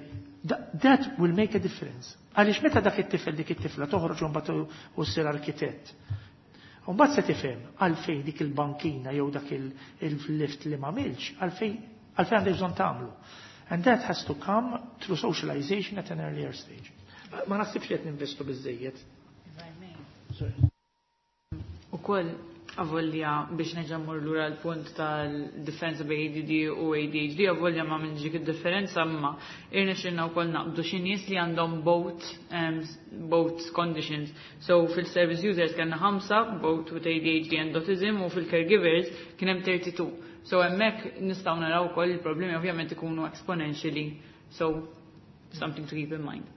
that will make a difference. Għaliex meta dak it-tifel, dik it-tifla toħroġ u mbagħad u ssir arkitett. U mbagħad se tifhem għalfejn dik il-bankina jew dak il-lift li m'għamilx, għalfejn għalfejn għandek bżonn tagħmlu. And that has to come through socialization at an earlier stage. Ma naħsibx li qed ninvestu biżejjed. Ukoll avolja biex nerġa' mmur lura l-punt tal-differenza bejn A D D u A D H D, avolja ma minn dik id-differenza, imma irnexxilna wkoll naqbdu xi nies li għandhom both um, both conditions. So fil-service users kellna ħamsa both with A D H D and autism u fil-caregivers kien hemm tlieta u tletin. So hemmhekk nistgħu naraw ukoll il-problemi ovvjament ikunu exponentially. So something to keep in mind.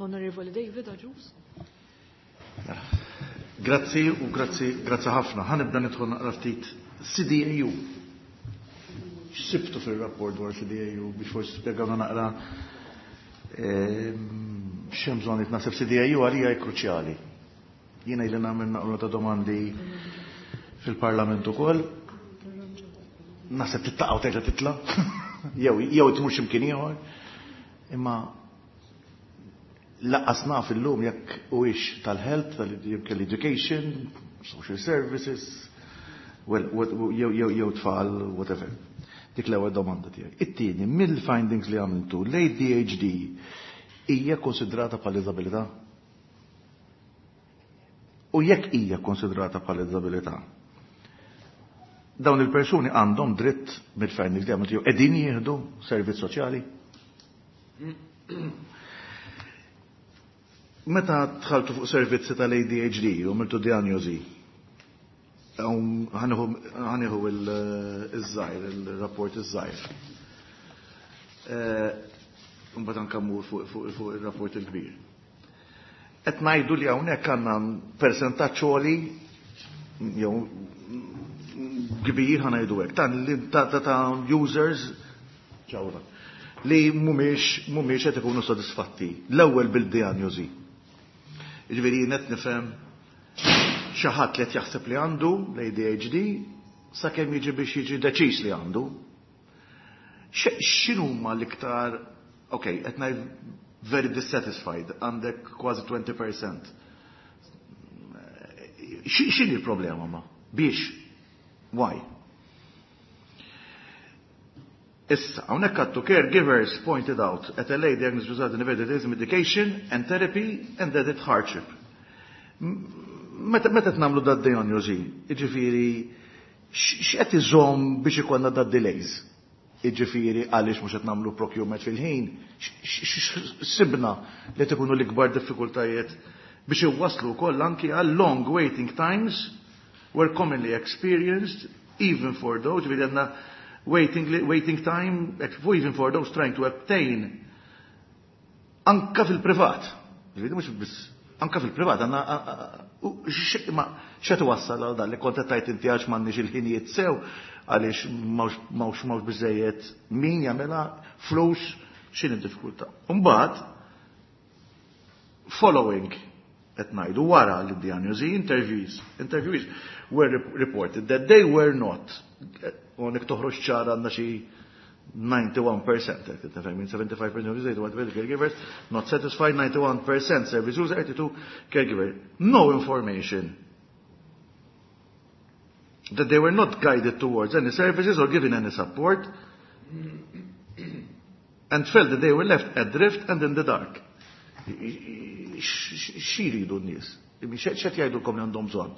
Onorevoli David Agius. Grazzi u grazzi, grazzi ħafna. Ħa nibda nidħol naqra ftit C D A U. X'sibtu fil-rapport dwar C D A U biex forsi spjegawna naqra ehm, x'hemm bżonn naħseb C D A U għalija hija kruċjali. Jiena ili nagħmel naqra ta' domandi fil-Parlament ukoll. Naħseb tittaqgħu terġa' titla' jew jew tmur x'imkien ieħor. Imma lanqas naf illum jekk huwiex tal-health, tal-education, social services, well, jew jew jew tfal, whatever. Dik l-ewwel domanda tiegħi. It-tieni, mill-findings li għamiltu, l-A D H D hija konsidrata bħala diżabilità? U jekk hija konsidrata bħala diżabilità, dawn il-persuni għandhom dritt, mill-findings li għamiltu, qegħdin jieħdu servizz soċjali? Meta dħaltu fuq servizzi tal-A D H D u għamiltu diagnosi, ħa nieħu iż-żgħir, il-rapport iż-żgħir. Mbagħad anke mmur fuq il-rapport il-kbir. Qed ngħidu li hawnhekk għandna persentaġġ għoli jew kbir, ħa ngħidu hekk, ta' ta' users ġawra li mhumiex mhumiex qed ikunu sodisfatti l-ewwel bil-diagnosi. Jiġifieri qed nifhem xi ħadd li qed jaħseb li għandu l-A D H D sakemm jiġi biex jiġi deċiż li għandu. X'inhuma l-iktar, ok, qed ngħid very dissatisfied, għandek kważi għoxrin fil-mija. X'inhi l-problema ma? Biex? Why? Issa, hawnhekk għattu caregivers pointed out at a late diagnosis resulted in evaded medication and therapy and added hardship. Meta meta nagħmlu da diagnosi, jiġifieri x'qed iżomm biex ikollna da delays? Jiġifieri għaliex mhux qed nagħmlu procurement fil-ħin, sibna li tkunu l-ikbar diffikultajiet biex iwasslu wkoll anki għal long waiting times were commonly experienced even for those, ġifieri għandna waiting, waiting time even for those trying to obtain anka fil-privat. Ġifieri mhux biss anka fil-privat għandna ma x'qed wassal għal dan li kont qed inti, għax m'għandniex il-ħinijiet sew, għaliex m'hawnx m'hawnx biżejjed min jagħmilha, flus, x'inhi d-diffikultà? Mbagħad following, qed ngħidu wara li diagnosi, interviews interviews were reported that they were not, u toħroġ ċara għandna xi ninety-one percent, seventy-five percent of the caregivers not satisfied, ninety-one percent service user, eighty-two caregiver. No information. That they were not guided towards any services or given any support and felt that they were left adrift and in the dark. X'iridu n-nies? X'qed jgħidulkom li għandhom bżonn?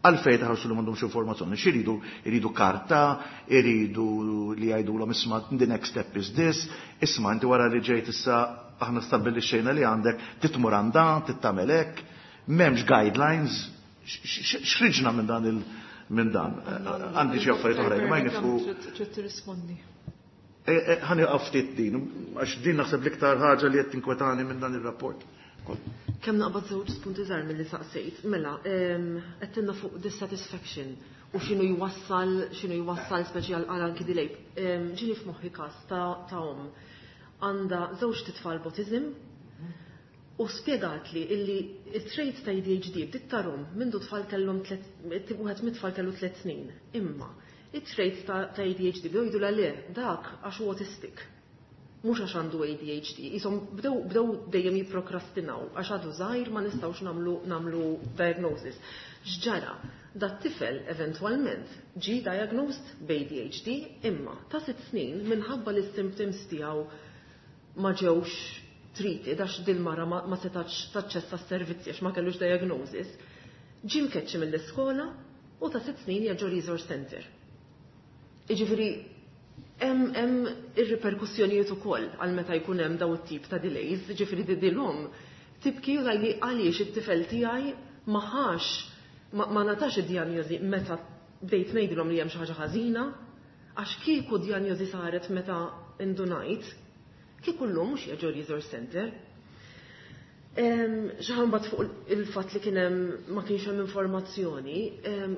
Għalfejn taħarsu li m'għandhomx informazzjoni? X'iridu? Iridu karta, iridu li jgħidulhom, "Isma', the next step is this, isma', inti wara li ġejt issa aħna stabbilixxejna li għandek titmur għandan, tittamel hekk," m'hemmx guidelines, x'riġna minn dan il minn dan? Għandi xi affarijiet oħrajn, ma jnifu. Trid tirrispondi. Ħa nieqaf ftit din, għax din naħseb l-iktar ħaġa li qed tinkwetani minn dan ir-rapport. Kemm naqbad żewġ punti żgħar milli saqsejt. Mela, qed fuq dissatisfaction u x'inhu jwassal x'inhu jwassal speċi għal anki delay. Ġieni f'moħħi każ ta' omm għandha żewġ titfal b'autism u spjegat li illi it-traits ta' A D H D bdiet tarahom mindu tfal kellhom, wieħed mit-tfal kellu tliet snin. Imma it-traits ta' A D H D bdew jgħidu le, dak għax hu autistic. Mhux għax għandu A D H D, jisom bdew bdew dejjem jipprokrastinaw għax għadu żgħir, ma nistgħux nagħmlu nagħmlu diagnosis. X'ġara? Dat-tifel eventwalment ġi diagnosed b'A D H D, imma ta' sitt snin, minħabba li s-symptoms tiegħu ma ġewx treated għax dil-mara ma, ma setax taċċessa s-servizzi għax ma kellux diagnosis, ġie mkeċċi mill-iskola u ta' sitt snin ġo resource center. Iġifieri, hemm hemm ir-riperkussjonijiet ukoll għal meta jkun hemm daw it-tip ta' delays, ġifieri dil-omm tibki u li għaliex it-tifel tiegħi ma ħax ma, ma ngħatax id-dijanjosi meta bdejt ngħidilhom li hemm xi ħaġa ħażina, għax kieku dijanjosi saret meta indunajt, kieku llum mhux ġo resource center. Xaħambat fuq il-fat li kien hemm ma kienx hemm informazzjoni,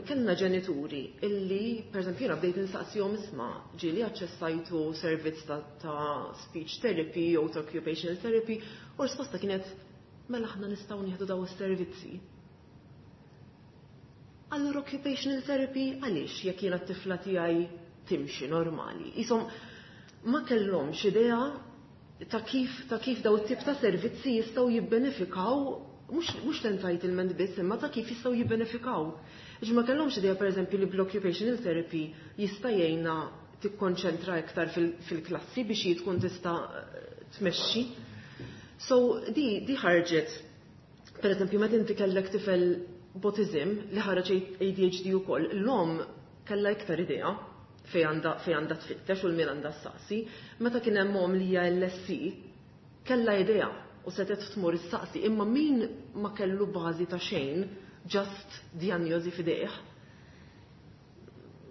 kellna ġenituri illi, per eżempju, jiena bdejt insaqsihom, "Isma', ġieli aċċessajtu servizz ta', ta speech therapy jew ta' occupational therapy?" U risposta kienet, "Mela aħna nistgħu nieħdu daw is-servizzi?" Allura occupational therapy għaliex, jekk jiena t-tifla tiegħi timxi normali? Isom ma kellhomx idea ta' kif ta' kif daw it-tip ta' servizzi jistgħu jibbenefikaw, mhux mhux l-entitlement biss, imma ta' kif jistgħu jibbenefikaw. Ġi ma kellhomx idea, pereżempju, li bl-occupational therapy jista' jgħinha tikkonċentra iktar fil-klassi biex hi tkun tista' tmexxi. So di di ħarġet, per eżempju, meta inti kellek tifel b'autism li ħareġ A D H D ukoll, l-omm kellha iktar idea fej għandha fej għandha tfittex u l-min għandha ssaqsi. Meta kien hemm omm li hija L S C, kellha idea u setet tmur issaqsi, imma min ma kellu bażi ta' xejn, just diagnosi f'idejh.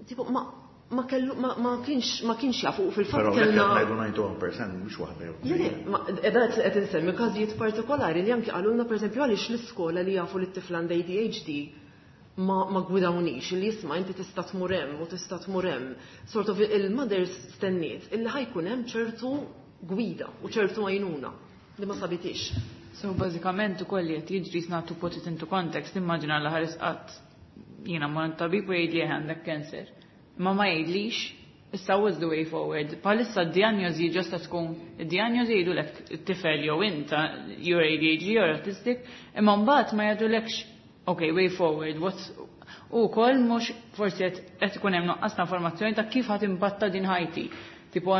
Tipo, ma, ma kellu, ma, ma kienx, ma kienx jafu fil-fatt Però kellna. ngħidu disgħa u disgħin fil-mija mhux waħda jew Le, le, ma edha qed insemmi każijiet partikolari li anki qalulna, pereżempju, għaliex l-iskola li jafu li t-tifla għandha A D H D ma, ma gwidawniex li, "Isma', inti tista' tmur hemm u tista' tmur hemm." Sort of il-mothers stenniet illi ħa jkun hemm ċertu gwida u ċertu għajnuna li ma sabitix. So bażikament ukoll li qed jiġri, nagħtu put it into context, immaġina l ħares qatt jiena ma tabib u jgħidli għandek cancer. Ma ma jgħidlix issa what's the way forward. Bħalissa d-diagnosi ġosta tkun, id-diagnosi jgħidulek it-tifel jew inta you're A D H D or autistic, imma mbagħad ma jgħidulekx, okay, way forward, what's u kol mhux forsi qed ikun hemm nuqqas ta' informazzjoni ta' kif ħa timbatta din ħajti. Tipo,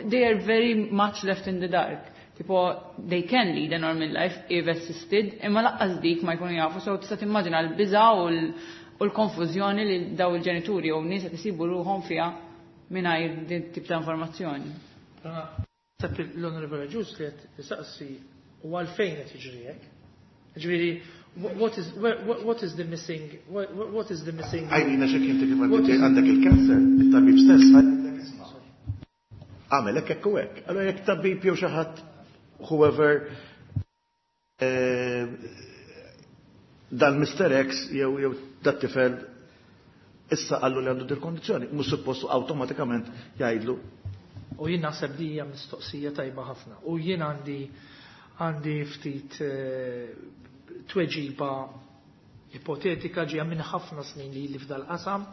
they are very much left in the dark. Tipo, they can lead a normal life if assisted, imma lanqas dik ma jkunu jafu, so tista' timmaġina l-biża' u l-konfużjoni li daw il-ġenituri u nies qed isibu ruħhom fiha mingħajr din tip ta' informazzjoni. Sab l-Onorevole Ġus li qed tisaqsi u għalfejn qed jiġri hekk. Ġifieri, what is what is the missing what, what is the missing Għajnina xek inti kif għandek il-kanser, il-tabib stess għandek, "Isma', għamel hekk, hekk u hekk." Allora jekk tabib jew xi ħadd, whoever, eh, dan Mister X jew jew dat tifel issa qallu li għandu dil-kondizzjoni, mhux suppostu awtomatikament jgħidlu. U jien naħseb di hija mistoqsija tajba ħafna. U jien għandi għandi ftit eh, tweġiba ipotetika ġija minn ħafna snin li li f'dal qasam,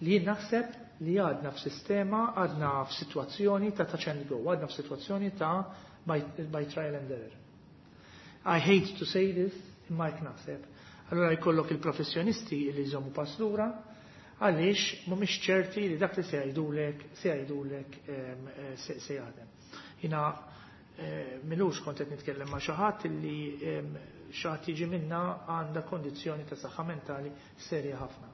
li jien naħseb li għadna f'sistema, għadna f'sitwazzjoni ta' touch and go, għadna f'sitwazzjoni ta' by, by trial and error. I hate to say this, imma jek naħseb. Allora jkollok il-professjonisti li jżommu pass lura, għaliex mhumiex ċerti li dak li se jgħidulek se jgħidulek eh, se se jaħdem. Jiena eh, m'ilux kont qed nitkellem ma' xi ħadd li xi ħadd jiġi minna għandha kondizzjoni ta' saħħa mentali serja ħafna.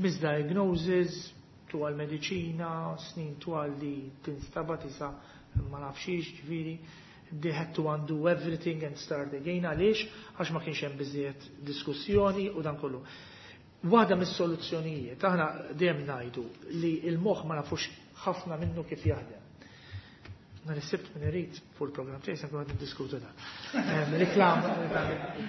Misdiagnosis, twal mediċina, snin twal li tinstaba tisa ma nafxiex, ġifieri, they had to undo everything and start again. Għaliex? Għax ma kienx hemm biżejjed diskussjoni u dan kollu. Waħda mis-soluzzjonijiet, aħna dejjem ngħidu li il-moħħ ma nafux ħafna minnu kif jaħdem. Nhar is-Sibt min irid fuq il-programm tiegħi se nkun qed niddiskutu dan. Reklam,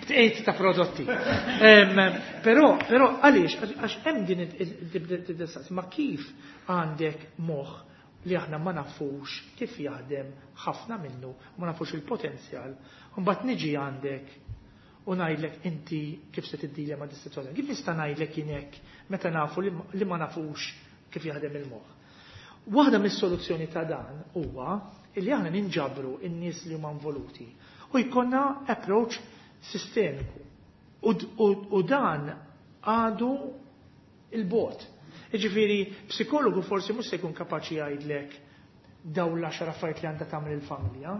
tqejt ta' prodotti. Però però għaliex, għax hemm din id ma kif għandek moħħ li aħna ma nafux kif jaħdem ħafna minnu, ma nafux il-potenzjal, mbagħad niġi għandek u ngħidlek inti kif se tiddilja ma' dis-sitwazzjoni. Kif nista' ngħidlek jien hekk meta nafu li ma nafux kif jaħdem il-moħħ? Waħda mis-soluzzjoni ta' dan huwa illi aħna ninġabru in-nies li huma involuti u jkollna approach sistemiku. U, u, u dan għadu 'il bogħod. Jiġifieri, psikologu forsi mhux se jkun kapaċi jgħidlek daw l-għaxar affarijiet li għandha tagħmel il-familja.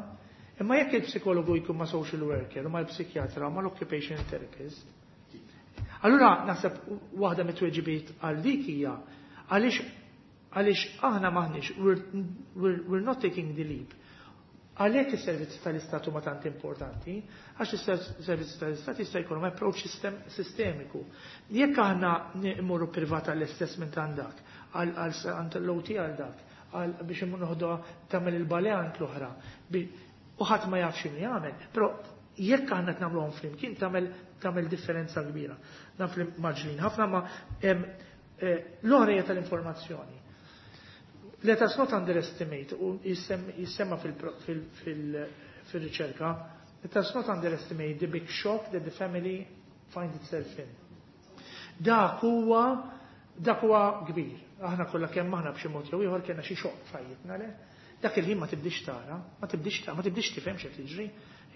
Imma jekk il-psikologu jkun ma' social worker, u ma' l-psikjatra, ma' l-occupation therapist, allura naħseb waħda mit-tweġibiet għal dik hija għaliex għaliex aħna m'aħniex we're, we're, we're not taking the leap. Għalhekk is-servizzi tal-Istat huma tant importanti, għax is-servizzi tal-Istat jista' jkollhom approach sistem, sistemiku. Jekk aħna mmorru privat għall-assessment għandak, għand l-O T għal dak, għal biex immur noħdu tagħmel il-ballet għand l-oħra, u ħadd ma jafx x'inhu jagħmel, però jekk aħna qed nagħmluhom flimkien tagħmel tagħmel differenza kbira. Naf li mgħaġġlin ħafna, ma l-oħra hija tal-informazzjoni. Let us not underestimate, u jissemma fil-riċerka, let us not underestimate the big shock that the family find itself in. Dak huwa dak huwa kbir. Aħna kollha kemm aħna b'xi mod jew ieħor kellna xi xokk f'ħajjitna, le? Dak il-ħin ma tibdix tara, ma tibdix tara, ma tibdix tifhem x'qed jiġri,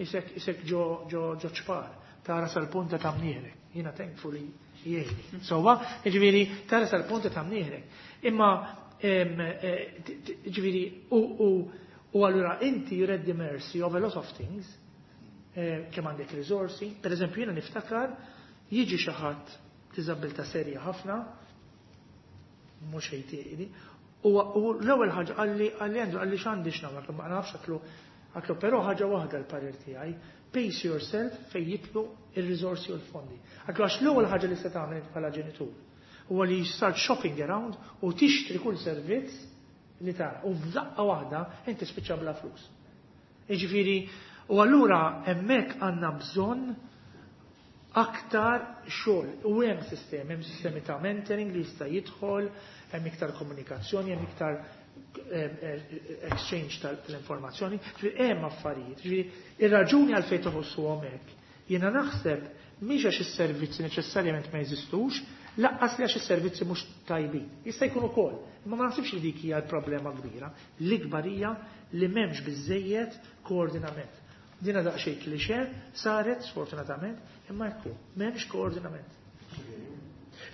isek isek ġo ġo ġo ċpar, tara sal-punta ta' mnieħrek. Jiena thankfully jgħidli. Sewwa, jiġifieri tara sal-punta ta' mnieħrek. Imma ġifieri, u allura inti you're at the mercy of a lot of things, kemm għandek risorsi. Per eżempju, jiena niftakar jiġi xi ħadd diżabilità serja ħafna, mhux ħejtiqni, u l-ewwel ħaġa qalli qalli "Andrew," qalli, "x'għandi x'nagħmel?" Ma nafx, għedtlu għedtlu però ħaġa waħda l-parir tiegħi, pace yourself fejn jidħlu ir-riżorsi u l-fondi. Għedtlu għax l-ewwel ħaġa li se tagħmel bħala ġenitur huwa li start shopping around u tixtri kull servizz li tara. U f'daqqa waħda inti spiċċa bla flus. Jiġifieri, u allura hemmhekk għandna bżonn aktar xogħol. U hemm sistemi, hemm sistemi ta' mentoring li jista' jidħol, hemm iktar komunikazzjoni, hemm iktar exchange tal-informazzjoni, hemm affarijiet. Ġifieri, ir-raġuni għalfejn toħossuhom hekk, jiena naħseb mhix għax is-servizzi neċessarjament ma jeżistux, lanqas li għax is-servizzi mhux tajbin. Jista' jkun ukoll, imma ma naħsibx li dik hija l-problema kbira. L-ikbar hija li m'hemmx biżejjed koordinament. Dina daqsxejn klixe saret sfortunatament, imma ekku, m'hemmx koordinament.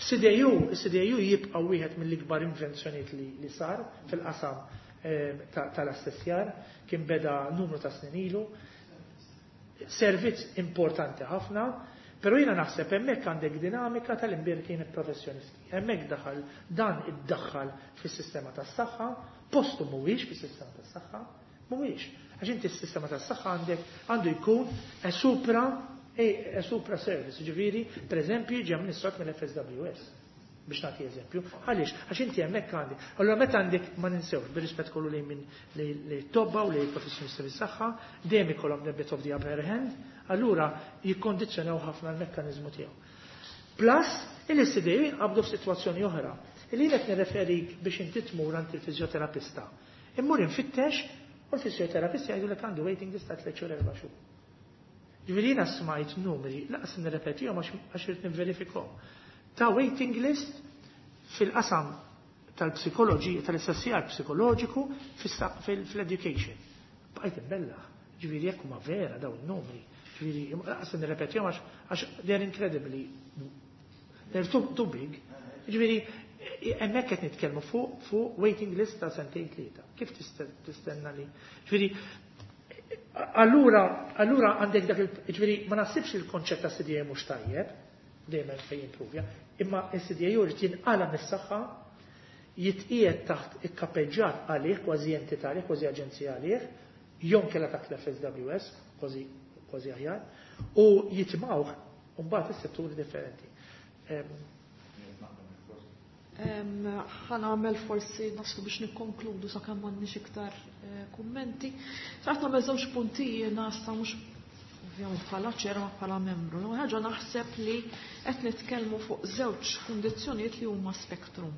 C D A U, C D A U jibqa' wieħed mill-ikbar invenzjonijiet li, li sar fil-qasam eh, tal-assessjar, kien beda numru ta' snin ilu. Servizz importanti ħafna, però jiena naħseb hemmhekk għandek dinamika tal-imbierkin professjonisti. Hemmhekk daħal dan iddaħħal fis-sistema tas-saħħa, postu mhuwiex fis-sistema tas-saħħa, mhuwiex. Għax inti s-sistema tas-saħħa għandek għandu jkun a supra a supra service, ġifieri, per eżempju, ġie amministrat mill-F S W S biex nagħti eżempju. Għaliex? Għax inti hemmhekk għandi. Allura meta għandek, ma ninsewx, bir-rispett kollu li minn li tobba u li professjonisti fis-saħħa, dejjem ikollhom the bit of the upper hand, allura jikkondizzjonaw ħafna l-mekkaniżmu tiegħu. Plus, il-C D A jinqabdu f'sitwazzjoni oħra. Illi qed nirreferik biex inti tmur għand il-fiżjoterapista. Immur infittex u l-fiżjoterapista jgħidu għandu waiting list ta' tliet xhur, erba' xhur. Ġifieri jiena smajt numri, lanqas nirrepetihom għax irid nivverifikhom, ta' waiting list fil-qasam tal-psikoloġija, tal-assessjar psikoloġiku fil-education. Bqajt imbellah. Ġifieri jekk huma vera dawn il-numri. Ġifieri, lanqas nirrepetihom għax they're incredibly, they're too, too big. Ġifieri, hemmhekk qed nitkellmu fuq fuq waiting list ta' sentejn, tlieta. Kif tistenna li? Ġifieri, allura, allura għandek dak il, ġifieri, ma naħsibx il-konċett ta' C D A mhux tajjeb, dejjem fejn jimprovja, imma il-C D A jrid jinqala mis-saħħa, jitqiegħed taħt ikkapeġġat għalih, kważi entità għalih, kważi aġenzija għalih, jew inkella taħt l-F S W S, kważi kważi aħjar, u jitimgħuh mbagħad is-setturi differenti. Ħa nagħmel forsi naslu biex nikkonkludu sakemm m'għandniex iktar eh, kummenti. Xtaqt nagħmel żewġ punti jiena issa, mhux ovvjament bħala chair ma bħala membru. L-ewwel ħaġa, naħseb li qed nitkellmu fuq żewġ kundizzjonijiet li huma spektrum.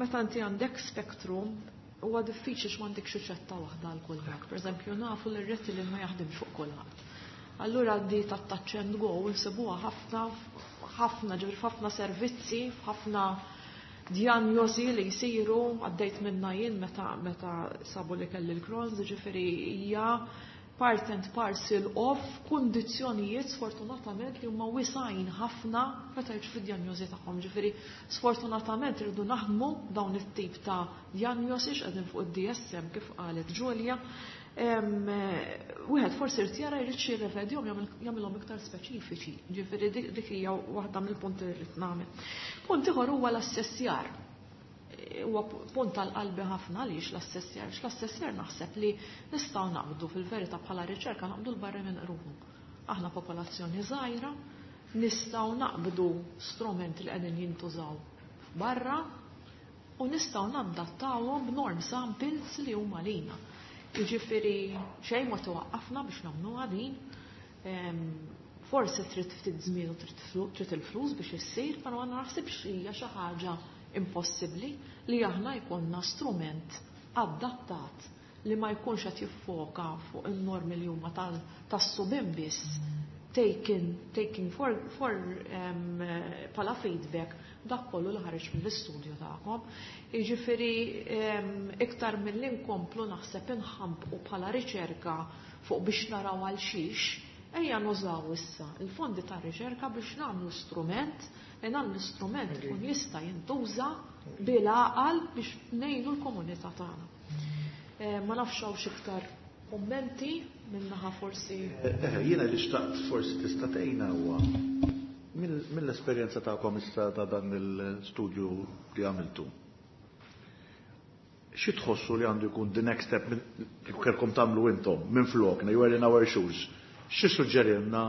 Meta inti għandek spektrum, huwa diffiċli x'm'għandekx riċetta waħda għal kulħadd. Pereżempju, nafu li r-Ritalin ma jaħdimx fuq kulħadd. Allura di ta' touch and go nsibuha ħafna ħafna, ġifieri f'ħafna servizzi, f'ħafna Diagnosi li jsiru għaddejt minna jien meta meta sabu li kelli l-Crohn's, ġifieri hija part and parcel of kundizzjonijiet sfortunatament li huma wisgħin ħafna meta jiġu fid-diagnosi tagħhom. Ġifieri sfortunatament irridu naħdmu dawn it-tip ta' diagnosi x'qegħdin fuq id-D S M kif qalet Julia. Wieħed forsi irid jara jrid xi jirrevedihom, jagħmilhom iktar speċifiċi. Ġifieri dik hija waħda mill-punti li rrid nagħmel. Punt ieħor huwa l-assessjar. Huwa punt tal-qalbi ħafna. Għaliex l-assessjar? L-assessjar naħseb li nistgħu naqbdu fil-verità bħala riċerka, naqbdu l-barri minn qrunu. Aħna popolazzjoni żgħira, nistgħu naqbdu strumenti li qegħdin jintużaw barra u nistgħu nadattawhom b'norm samples li huma lina. Jiġifieri xejn ma twaqqafna biex nagħmluha din. Forsi trid ftit żmien u trid il-flus biex issir, però ma naħsibx hija xi ħaġa impossibbli li aħna jkollna strument adattat li ma jkunx qed jiffoka fuq in-normi li huma tas-subien biss, taken taking for, for um, pala feedback dak kollu li ħareġ mill-istudju tagħkom. Jiġifieri um, iktar mill-li nkomplu naħseb inħampqu bħala riċerka fuq biex naraw għal xiex, ejja nużaw issa il-fondi ta' riċerka biex nagħmlu strument li dan l-istrument ikun jista' jintuża bil-għaqal biex ngħinu l-komunità tagħna. Eh, ma nafx hawn iktar kummenti minnaħa forsi. Eh, jiena li xtaqt forsi tista' tgħinna huwa mill-esperjenza tagħkom issa ta' dan il-studju li għamiltu. Xi tħossu li għandu jkun the next step kieku kellkom tagħmlu intom minn flokna, you are in our shoes? Xi suġġerilna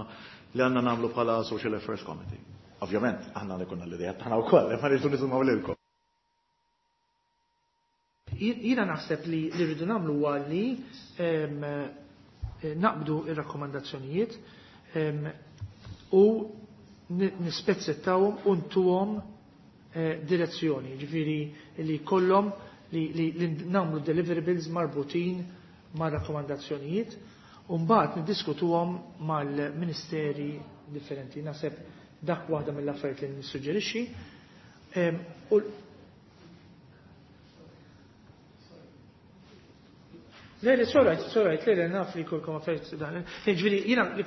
li għandna nagħmlu bħala Social Affairs Committee? Ovvjament, aħna li konna l-idea tagħna wkoll, ma rridu nisimgħu lilkom. Jiena naħseb li li rridu nagħmlu huwa li naqbdu ir-rakkomandazzjonijiet u nispezzettawhom u ntuhom eh, direzzjoni, ġifieri li kollhom li, li, li nagħmlu deliverables marbutin ma' rakkomandazzjonijiet u mbagħad niddiskutuhom mal-ministeri differenti. Naħseb dak waħda mill-affarijiet li nissuġġerixxi. U Le, le, sorry, sorry, le, le, naf li kulkom affarijiet dan. Ġifieri, jiena li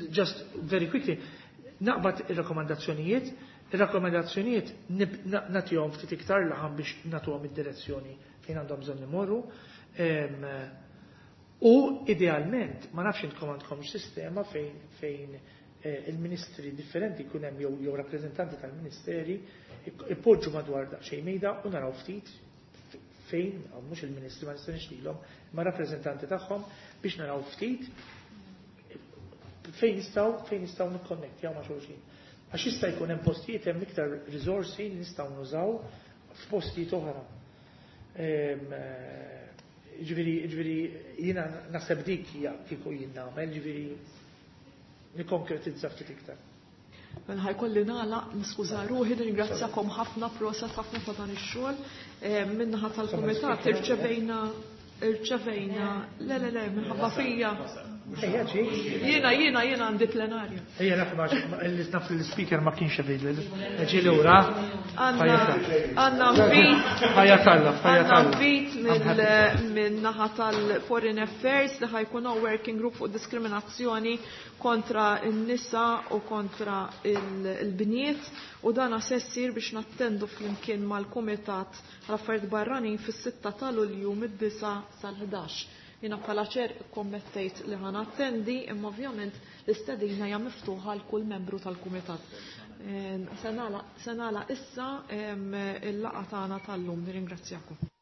just very quickly, naqbad il-rakkomandazzjonijiet, il-rakkomandazzjonijiet nagħtihom ftit iktar laħam biex nagħtuhom id-direzzjoni fejn għandhom bżonn imorru. U idealment, ma nafx intkom għandkom sistema fejn fejn eh, il-ministri differenti jkun hemm jew jew rappreżentanti tal-ministeri ipoġġu madwar daqsxejn mejda u naraw ftit fejn, mhux il-ministri, ma nistenniex lilhom, ma rappreżentanti tagħhom biex naraw ftit fejn nistgħu fejn nistgħu nikkonnettjaw ma' xulxin. Għax jista' jkun hemm postijiet, hemm iktar riżorsi li nistgħu nużaw f'postijiet oħra. Ġifieri, ġifieri jiena naħseb dik hija kieku jien nagħmel, ġifieri nikkonkretizza ftit iktar. Mela ħa jkolli nagħlaq, niskuża ruħi, ringrazzjakom ħafna, proset ħafna ta' dan ix-xogħol. Minnaħa tal-kumitat irċevejna irċevejna le, le, le, minħabba fija. Jiena jiena jiena għandi plenarja. Ejja, naf li naf li l-speaker ma kienx available. Ġi lura. Għandna invit. Ħajja talla, ħajja Għandna invit minn naħa tal-Foreign Affairs li ħa jkun working group fuq diskriminazzjoni kontra n-nisa u kontra il-bniet u dan se ssir biex nattendu flimkien mal-Kumitat għal-Affarijiet Barranin fis-sitta ta' Lulju mid-disgħa sal-ħdax. Jiena bħala chair kommettejt li ħa nattendi, imma ovvjament l-istedina hija miftuħa għal kull membru tal-kumitat. Se nagħlaq issa il-laqgħa tagħna tal-lum, nirringrazzjakom.